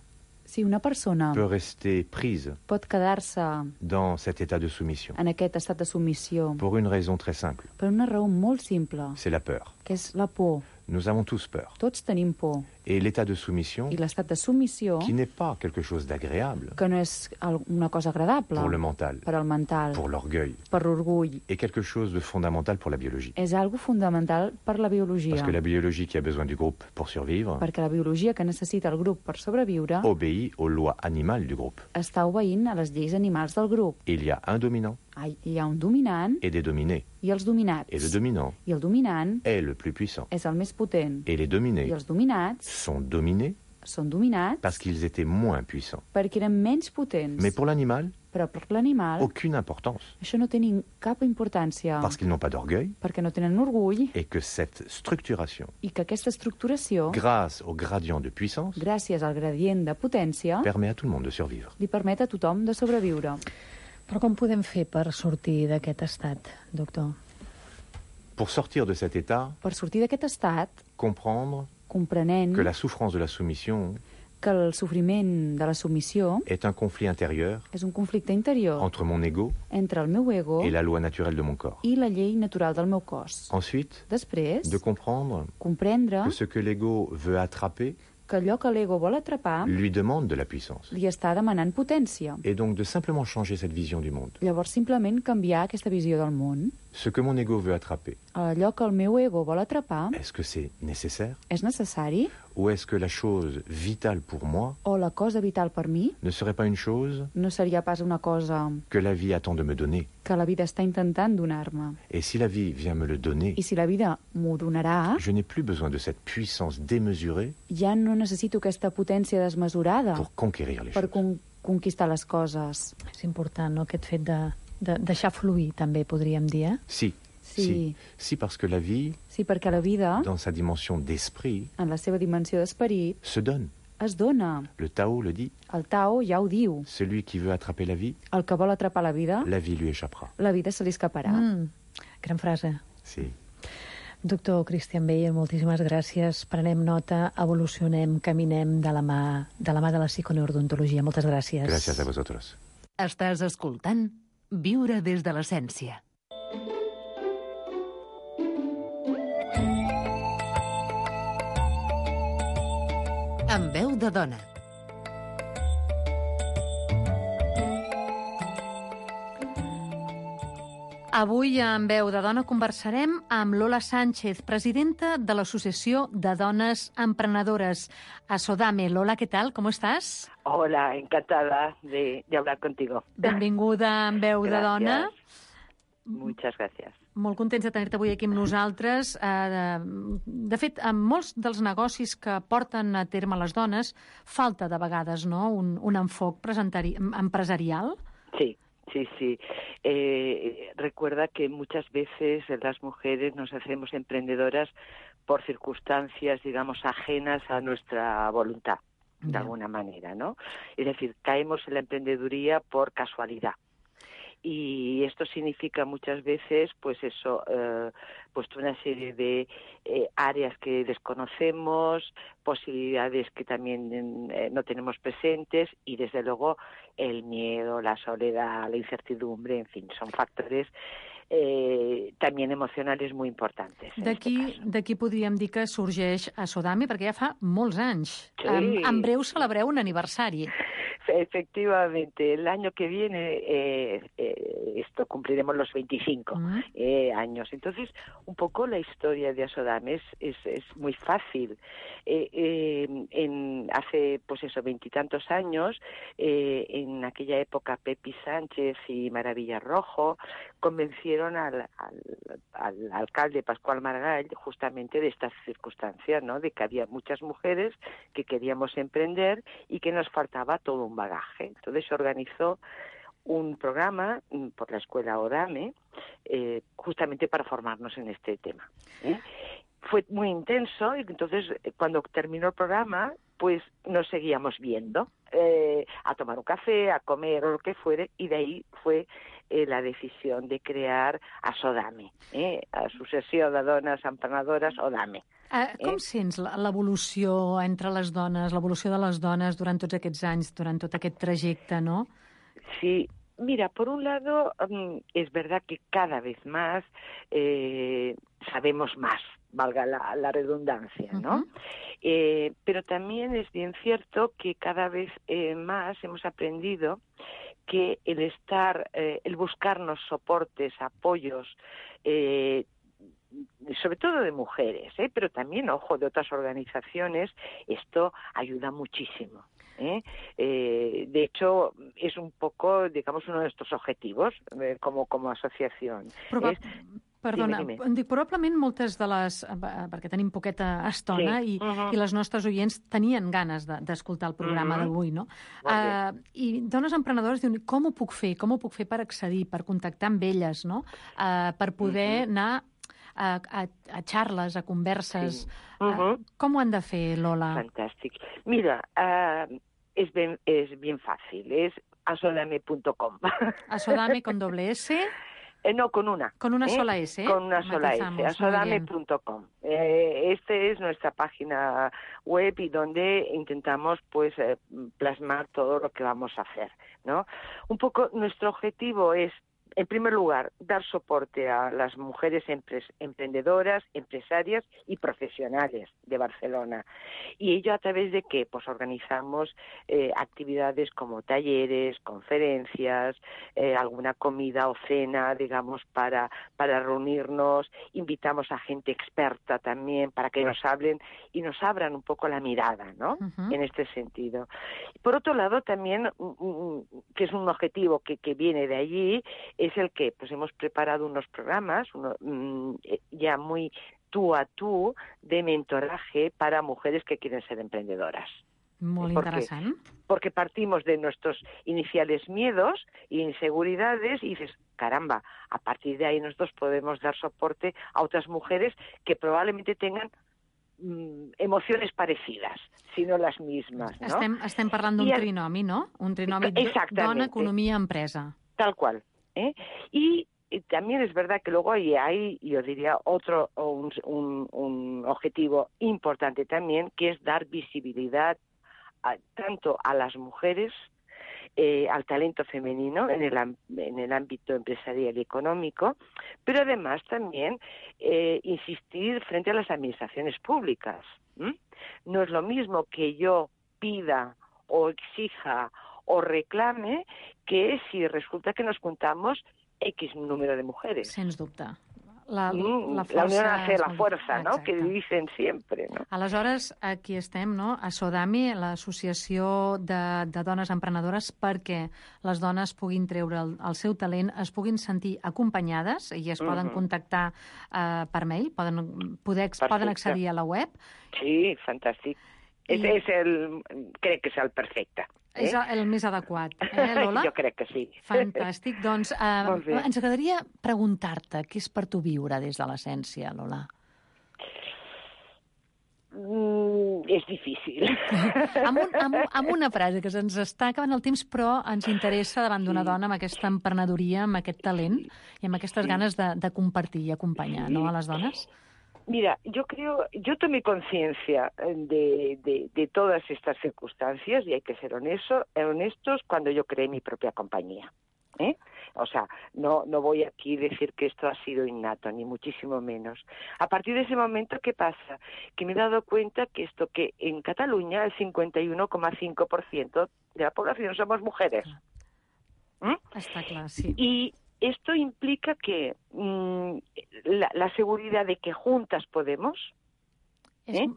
Si una persona peut rester prise pot quedar-se dans cet état de soumission en aquest estat de submissió pour une raison très simple. per una raó molt simple, C'est la peur. que és la por. Nous avons tous peur. Tots tenim por. Et l'état de soumission, I l'estat de submissió, qui n'est pas quelque chose d'agréable que no és al- una cosa agradable pour le mental, per al mental, pour l'orgueil, per l'orgull, et quelque chose de fondamental pour la biologie. és algo fundamental per la biologia. Parce que la biologie qui a besoin du groupe pour survivre Perquè la biologia que necessita el grup per sobreviure obéit aux lois animales du groupe. està obeint a les lleis animals del grup. Il y a un dominant Ah, Hi ha un dominant et des dominés. i els dominats. Et le dominant I el dominant est le plus puissant. és el més potent. Et les dominés I els dominats sont dominés són dominats parce qu'ils étaient moins puissants. perquè eren menys potents. Mais pour l'animal, Però per l'animal aucune importance. això no té ni cap importància Parce qu'ils n'ont pas d'orgueil perquè no tenen orgull et que cette structuration, i que aquesta estructuració, grâce au gradient de puissance, gràcies al gradient de potència, permet à tout le monde de survivre. li permet a tothom de sobreviure. Però com podem fer per sortir d'aquest estat, doctor? Pour sortir de cet état, Per sortir d'aquest estat, comprendre comprenent que la souffrance de la soumission que el sofriment de la submissió est un conflit intérieur és un conflicte interior entre mon ego entre el meu ego et la loi naturelle de mon corps. i la llei natural del meu cos. Ensuite, Després, de comprendre comprendre que ce que l'ego veut attraper, que allò que l'ego vol atrapar lui demande de la puissance. li està demanant potència. Et donc de simplement changer cette vision du monde. Llavors, simplement canviar aquesta visió del món. Ce que mon ego veut attraper, Allò que el meu ego vol atrapar est-ce que c'est nécessaire? és necessari? Ou est-ce que la chose vitale pour moi O la cosa vital per mi ne serait pas une chose no seria pas una cosa que la vie attend de me donner? que la vida està intentant donar-me? Et si la vie vient me le donner, I si la vida m'ho donarà, je n'ai plus besoin de cette puissance démesurée ja no necessito aquesta potència desmesurada pour conquérir les per choses. con conquistar les coses. És important, no?, aquest fet de, de deixar fluir, també, podríem dir, eh? Si, Sí. si, si parce que la vie, Sí, perquè la vida, dans sa dimension d'esprit, en la seva dimensió d'esperit, se donne. es dona. Le Tao le dit, El Tao ja ho diu. celui qui veut attraper la vie, El que vol atrapar la vida, la vie lui échappera. la vida se li escaparà. Mm, gran frase. Si. Doctor Cristian Beyer, moltíssimes gràcies. Prenem nota, evolucionem, caminem de la mà de la mà de la psiconeurodontologia. Moltes gràcies. Gracias a vosotros. Estàs escoltant Viure des de l'essència. Amb veu de dona. Avui, en Veu de Dona, conversarem amb Lola Sánchez, presidenta de l'Associació de Dones Emprenedores, a Sodame. Lola, ¿qué tal? ¿Cómo estás? Hola, encantada de, de hablar contigo. Benvinguda en Veu de Dona. Muchas gracias. Molt contents de tenir-te avui aquí amb nosaltres. De, de fet, en molts dels negocis que porten a terme les dones, falta de vegades, no?, un, un enfoc empresarial. Sí. Sí, sí. Eh, recuerda que muchas veces las mujeres nos hacemos emprendedoras por circunstancias, digamos, ajenas a nuestra voluntad, de yeah. alguna manera, ¿no? Es decir, caemos en la emprendeduría por casualidad. Y esto significa muchas veces, pues eso, eh, pues una serie de eh, áreas que desconocemos, posibilidades que también eh, no tenemos presentes y, desde luego, el miedo, la soledad, la incertidumbre, en fin, son factores eh, también emocionales muy importantes. D'aquí d'aquí podríem dir que sorgeix a Sodame, perquè ja fa molts anys. Sí. En, en breu celebreu un aniversari. Efectivamente, el año que viene eh, eh, esto cumpliremos los veinticinco uh-huh. eh, años. Entonces, un poco la historia de Asodame es, es, es muy fácil. Eh, eh, en, hace, pues eso, veintitantos años, eh, en aquella época Pepi Sánchez y Maravilla Rojo convencieron al, al, al alcalde Pascual Maragall justamente de estas circunstancias, ¿no?, de que había muchas mujeres que queríamos emprender y que nos faltaba todo un bagaje. Entonces se organizó un programa por la escuela Odame eh, justamente para formarnos en este tema. ¿eh? Fue muy intenso y entonces cuando terminó el programa pues nos seguíamos viendo eh, a tomar un café, a comer o lo que fuere, y de ahí fue eh, la decisión de crear Asodame, eh, Associació de Dones Emprenedores Odame. Uh, com eh? sents l'evolució entre les dones, l'evolució de les dones durant tots aquests anys, durant tot aquest trajecte, no? Sí, mira, por un lado, um, es verdad que cada vez más eh, sabemos más, valga la, la redundancia, ¿no? Uh-huh. eh, pero también es bien cierto que cada vez eh, más hemos aprendido que el estar, eh, el buscarnos soportes, apoyos, eh, sobre todo de mujeres, ¿eh? pero también, ojo, de otras organizaciones, esto ayuda muchísimo. ¿eh? Eh, de hecho, es un poco, digamos, uno de nuestros objetivos eh, como, como asociación. Proba es... Perdona, dime, dime. dic, probablement moltes de les... perquè tenim poqueta estona sí. i, uh-huh. i les nostres oients tenien ganes d'escoltar de, el programa uh-huh. d'avui, no? Uh, I dones emprenedores diuen, com ho puc fer? Com ho puc fer per accedir, per contactar amb elles, no? Uh, per poder uh-huh. anar a, a, a xarles, a converses. Sí. Uh-huh. uh, com ho han de fer, Lola? Fantàstic. Mira, uh, és, ben, és bien fàcil, és asodame punto com. Asodame con doble S... Eh, no, con una. Con una ¿eh? sola S. Con una sola S, asodame punto com. Eh, este es nuestra página web y donde intentamos pues eh, plasmar todo lo que vamos a hacer, ¿no? Un poco nuestro objetivo es en primer lugar, dar soporte a las mujeres emprendedoras, empresarias y profesionales de Barcelona. ¿Y ello a través de qué? Pues organizamos eh, actividades como talleres, conferencias, eh, alguna comida o cena, digamos, para, para reunirnos. Invitamos a gente experta también para que nos hablen y nos abran un poco la mirada, ¿no? Uh-huh. En este sentido. Por otro lado, también, que es un objetivo que, que viene de allí, es el que pues hemos preparado unos programas uno, mmm, ya muy tú a tú de mentoraje para mujeres que quieren ser emprendedoras. Muy porque, interesante. Porque partimos de nuestros iniciales miedos e inseguridades y dices, caramba, a partir de ahí nosotros podemos dar soporte a otras mujeres que probablemente tengan mm, emociones parecidas, si no las mismas, ¿no? Estem, estem parlant d'un el... trinomi, no? Un trinomi dona, economia, empresa. Tal cual. ¿eh? Y, y también es verdad que luego hay, hay yo diría, otro un, un, un objetivo importante también, que es dar visibilidad a, tanto a las mujeres, eh, al talento femenino en el, en el ámbito empresarial y económico, pero además también eh, insistir frente a las administraciones públicas. ¿Mm? No es lo mismo que yo pida o exija o reclame que si resulta que nos juntamos X número de mujeres. Sens dubte. La, mm, la, la unión hace la fuerza, no? Que dicen sempre, no? Aleshores, aquí estem, no? A Sodami, l'associació de, de dones emprenedores, perquè les dones puguin treure el, el seu talent, es puguin sentir acompanyades i es poden uh-huh. contactar uh, per mail, poden, poder, poden accedir a la web. Sí, fantàstic. I... És, és el, crec que és el perfecte. Eh? És el més adequat, eh, Lola? Jo crec que sí. Fantàstic. Doncs eh, ens agradaria preguntar-te què és per tu viure des de l'essència, Lola? Mm, és difícil. amb, un, amb, amb una frase, que se'ns està acabant el temps, però ens interessa davant d'una sí. dona amb aquesta emprenedoria, amb aquest talent i amb aquestes sí. ganes de, de compartir i acompanyar, sí. no, a les dones? Mira, yo creo, yo tomé conciencia de, de, de todas estas circunstancias y hay que ser honesto, honestos cuando yo creé mi propia compañía. ¿eh? O sea, no, no voy aquí a decir que esto ha sido innato, ni muchísimo menos. A partir de ese momento, ¿qué pasa? Que me he dado cuenta que esto que en Cataluña el cincuenta y uno coma cinco por ciento de la población somos mujeres. ¿Mm? Está claro, sí. Y esto implica que mmm, la, la seguridad de que juntas podemos, ¿eh?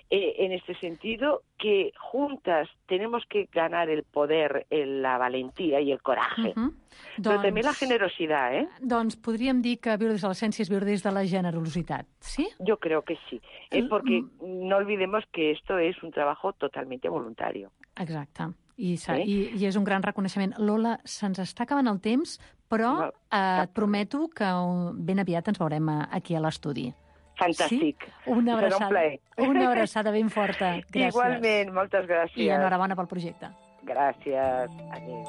Eh, en este sentido, que juntas tenemos que ganar el poder, el, la valentía y el coraje, uh-huh. però doncs, també la generositat, eh? Doncs podríem dir que viure des de l'essència és viure des de la generositat, ¿sí? Yo creo que sí, eh, porque mm. no olvidemos que esto es un trabajo totalmente voluntario. Exacte. I, eh? i, i és un gran reconeixement. Lola, se'ns està acabant el temps, però no, eh, et prometo que ben aviat ens veurem aquí a l'estudi. Fantàstic. Sí? Una abraçada, un una abraçada ben forta. Gràcies. Igualment, moltes gràcies. I enhorabona pel projecte. Gràcies. Adéu.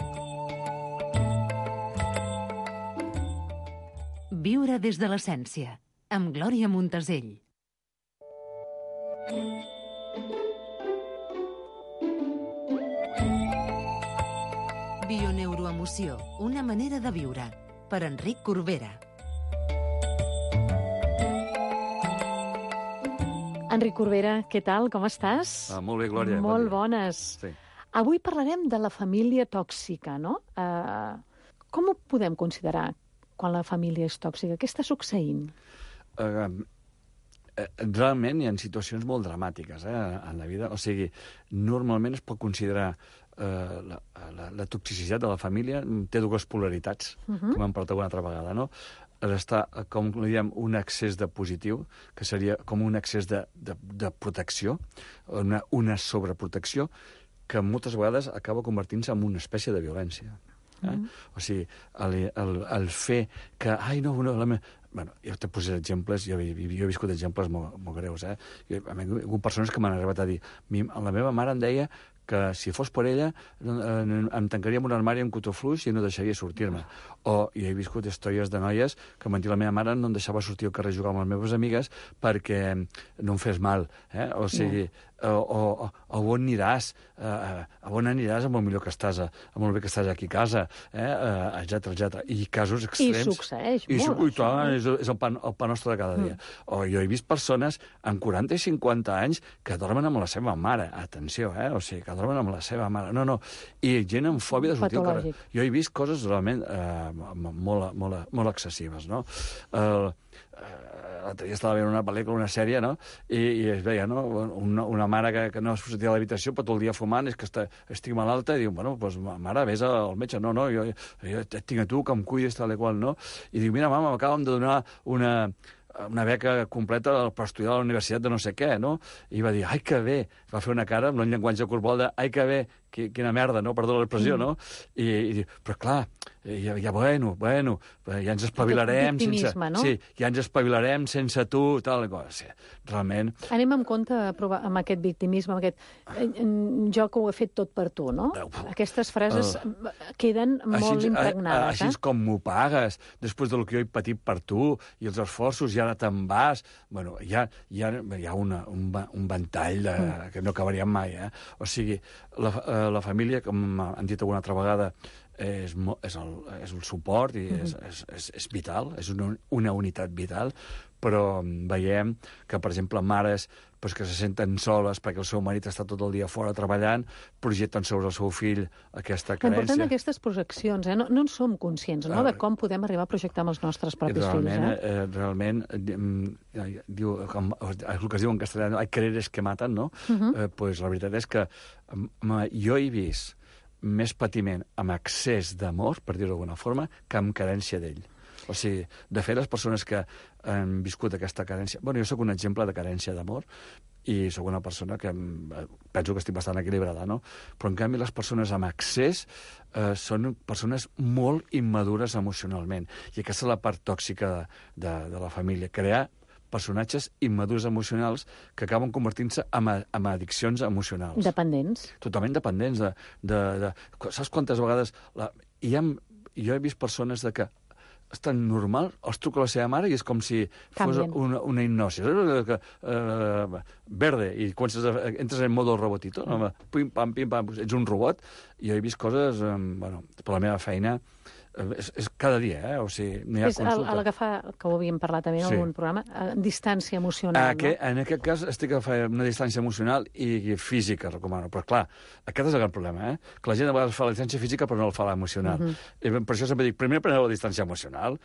Viure des de l'essència, amb Glòria Montesell. Bioneuroemoció, una manera de viure. Per Enric Corbera. Enric Corbera, què tal? Com estàs? Ah, molt bé, Glòria. Molt bon bones. Sí. Avui parlarem de la família tòxica, no? Uh, com ho podem considerar quan la família és tòxica? Què està succeint? Uh, realment hi ha situacions molt dramàtiques eh, en la vida. O sigui, normalment es pot considerar Uh, la, la, la toxicitat de la família té dues polaritats, uh-huh. com hem parlat alguna altra vegada, no? Està, com diem, un excés de positiu, que seria com un excés de, de, de protecció, una, una sobreprotecció, que moltes vegades acaba convertint-se en una espècie de violència. Eh? Uh-huh. O sigui, el, el, el fer que... Ai, no, no, la me... Bueno, jo te posaré exemples, jo, jo he viscut exemples molt, molt greus, eh? Jo, a mi, hi ha hagut persones que m'han arribat a dir, la meva mare em deia que si fos per ella em tancaria en un armari amb cotó fluix i no deixaria sortir-me. O jo he viscut històries de noies que mentida la meva mare no em deixava sortir al carrer a jugar amb les meves amigues perquè no em fes mal. Eh? O sigui, o, o, o on aniràs? Uh, a on aniràs amb el millor que estàs, amb el bé que estàs aquí a casa, eh? uh, etcètera, etcètera. I casos extrems... I succeeix I, molt, i tant, és, és el pa, el pa nostre de cada dia. Mm. O jo he vist persones amb quaranta i cinquanta anys que dormen amb la seva mare. Atenció, eh? O sigui, que dormen amb la seva mare. No, no. I gent amb fòbia de sortir al carrer. Jo he vist coses realment eh, molt, molt, molt excessives, no? Uh, L'altre dia estava veient una pel·lícula, una sèrie, no? I, i es veia, no? Una, una mare que, que no es sortia a l'habitació, però tot el dia fumant, és que està, estic malalta, i diu, bueno, doncs, mare, vés al metge. No, no, jo, jo et tinc a tu, que em cuidis, tal i qual, no? I diu, mira, mama, m'acaben de donar una... una beca completa per estudiar a la universitat de no sé què, no? I va dir, ai, que bé! Va fer una cara amb un llenguatge corporal de, ai, que bé! Quina merda, no? Perdó l'expressió, mm. no? I, i diu, però clar, ja, ja bueno, bueno, ja ens espavilarem sense... No? Sí, ja ens espavilarem sense tu, tal cosa. Sí, realment... Anem amb compte a provar, amb aquest victimisme, amb aquest jo que ho he fet tot per tu, no? Aquestes frases uh, queden molt així, impregnades. Així és eh? com m'ho pagues, després del que jo he patit per tu, i els esforços, i ara te'n vas... Bueno, hi ha, hi ha, hi ha una, un, un ventall de, mm. que no acabaríem mai, eh? O sigui, la, la família, com han dit alguna altra vegada, és, és, el, és el suport i és, és, és, és vital, és una, una unitat vital, però veiem que, per exemple, mares pues, que se senten soles perquè el seu marit està tot el dia fora treballant, projecten sobre el seu fill aquesta carència. L'important d'aquestes projeccions, eh? no, no en som conscients, no?, de com podem arribar a projectar amb els nostres propis realment, fills. Eh? Eh, realment, eh, diu, com, el que es diu en castellà, hay quereres que maten, no? Uh -huh. eh, pues la veritat és que eh, jo he vist més patiment amb excés d'amor, per dir-ho d'alguna forma, que amb carència d'ell. O sigui, de fet, les persones que han viscut aquesta carència... Bueno, jo sóc un exemple de carència d'amor i sóc una persona que penso que estic bastant equilibrada, no? Però, en canvi, les persones amb excés eh, són persones molt immadures emocionalment. I aquesta és la part tòxica de, de, de la família. Crear personatges immadurs emocionals que acaben convertint-se en, en addiccions emocionals. Dependents. Totalment dependents. De, de, de, saps quantes vegades... La, hi ha, jo he vist persones de que és tan normal, els truca la seva mare i és com si Canvien. fos una, una hipnosi. Que, uh, verde, i comences a, entres en modo robotito, no? Pim, pam, pim, pam, ets un robot. I jo he vist coses, um, bueno, per la meva feina, és, és cada dia, eh? O sigui, no hi ha és consulta. És agafar, que ho havíem parlat també en sí. algun programa, distància emocional. Aquest, no? En aquest cas estic agafant una distància emocional i física, recomano. Però, clar, aquest és el gran problema, eh? Que la gent a vegades fa la distància física però no el fa l'emocional. Uh -huh. Per això sempre dic, primer preneu la distància emocional,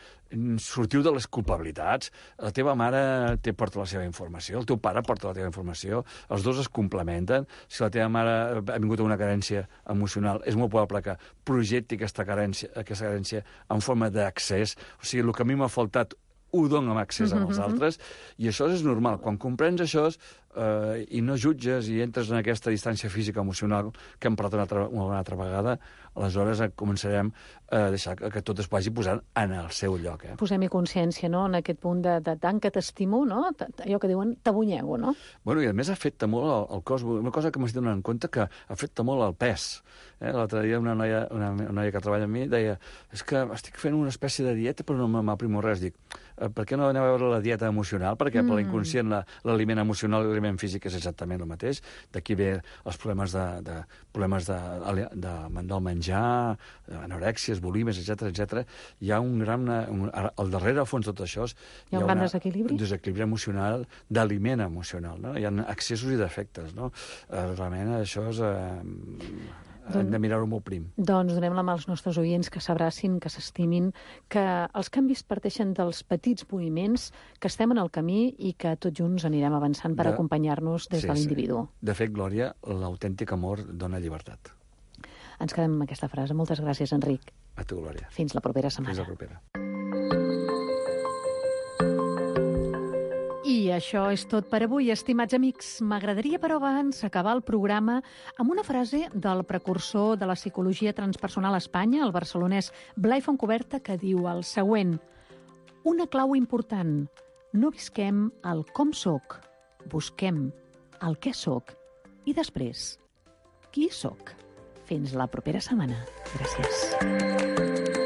sortiu de les culpabilitats, la teva mare té, porta la seva informació, el teu pare porta la teva informació, els dos es complementen. Si la teva mare ha vingut a una carència emocional, és molt probable que projecti aquesta carència, aquesta carència en forma d'accés. O sigui, el que a mi m'ha faltat ho dono amb accés Mm-hmm. als altres, i això és normal. Quan comprens això eh, i no jutges i entres en aquesta distància física emocional que hem parlat una altra, una altra vegada, aleshores començarem a deixar que, que tot es vagi posant en el seu lloc. Eh? Posem-hi consciència, no?, en aquest punt de, de tant que t'estimo, no?, allò que diuen t'abunyego, no? Bueno, i a més afecta molt el, el cos. Una cosa que m'estic donant en compte que afecta molt el pes. Eh? L'altre dia una noia, una, una noia que treballa amb mi deia, és que estic fent una espècie de dieta però no m'aprimo res. Dic, per què no aneu a veure la dieta emocional? Perquè mm. per l'inconscient l'aliment emocional i l'aliment físic és exactament el mateix. D'aquí ve els problemes de, de, problemes de, de, del menjar, anorèxies, bulímies, etcètera, etcètera. Hi ha un gran... Un, al darrere, al fons, tot això... Hi ha un gran desequilibri? Un desequilibri emocional, d'aliment emocional, no? Hi ha excessos i defectes, no? Eh, realment, això és... Eh, hem de mirar-ho molt prim. Doncs donem la mà als nostres oients que s'abracin, que s'estimin, que els canvis parteixen dels petits moviments, que estem en el camí i que tots junts anirem avançant per de... acompanyar-nos des sí, de l'individu. Sí. De fet, Glòria, l'autèntic amor dona llibertat. Ens quedem amb aquesta frase. Moltes gràcies, Enric. A tu, Glòria. Fins la propera setmana. Fins la propera. I això és tot per avui, estimats amics. M'agradaria, però, abans acabar el programa amb una frase del precursor de la psicologia transpersonal a Espanya, el barcelonès Blai Fontcuberta, que diu el següent: una clau important. No visquem el com soc, busquem el què soc i després qui sóc. Fins la propera setmana. Gràcies.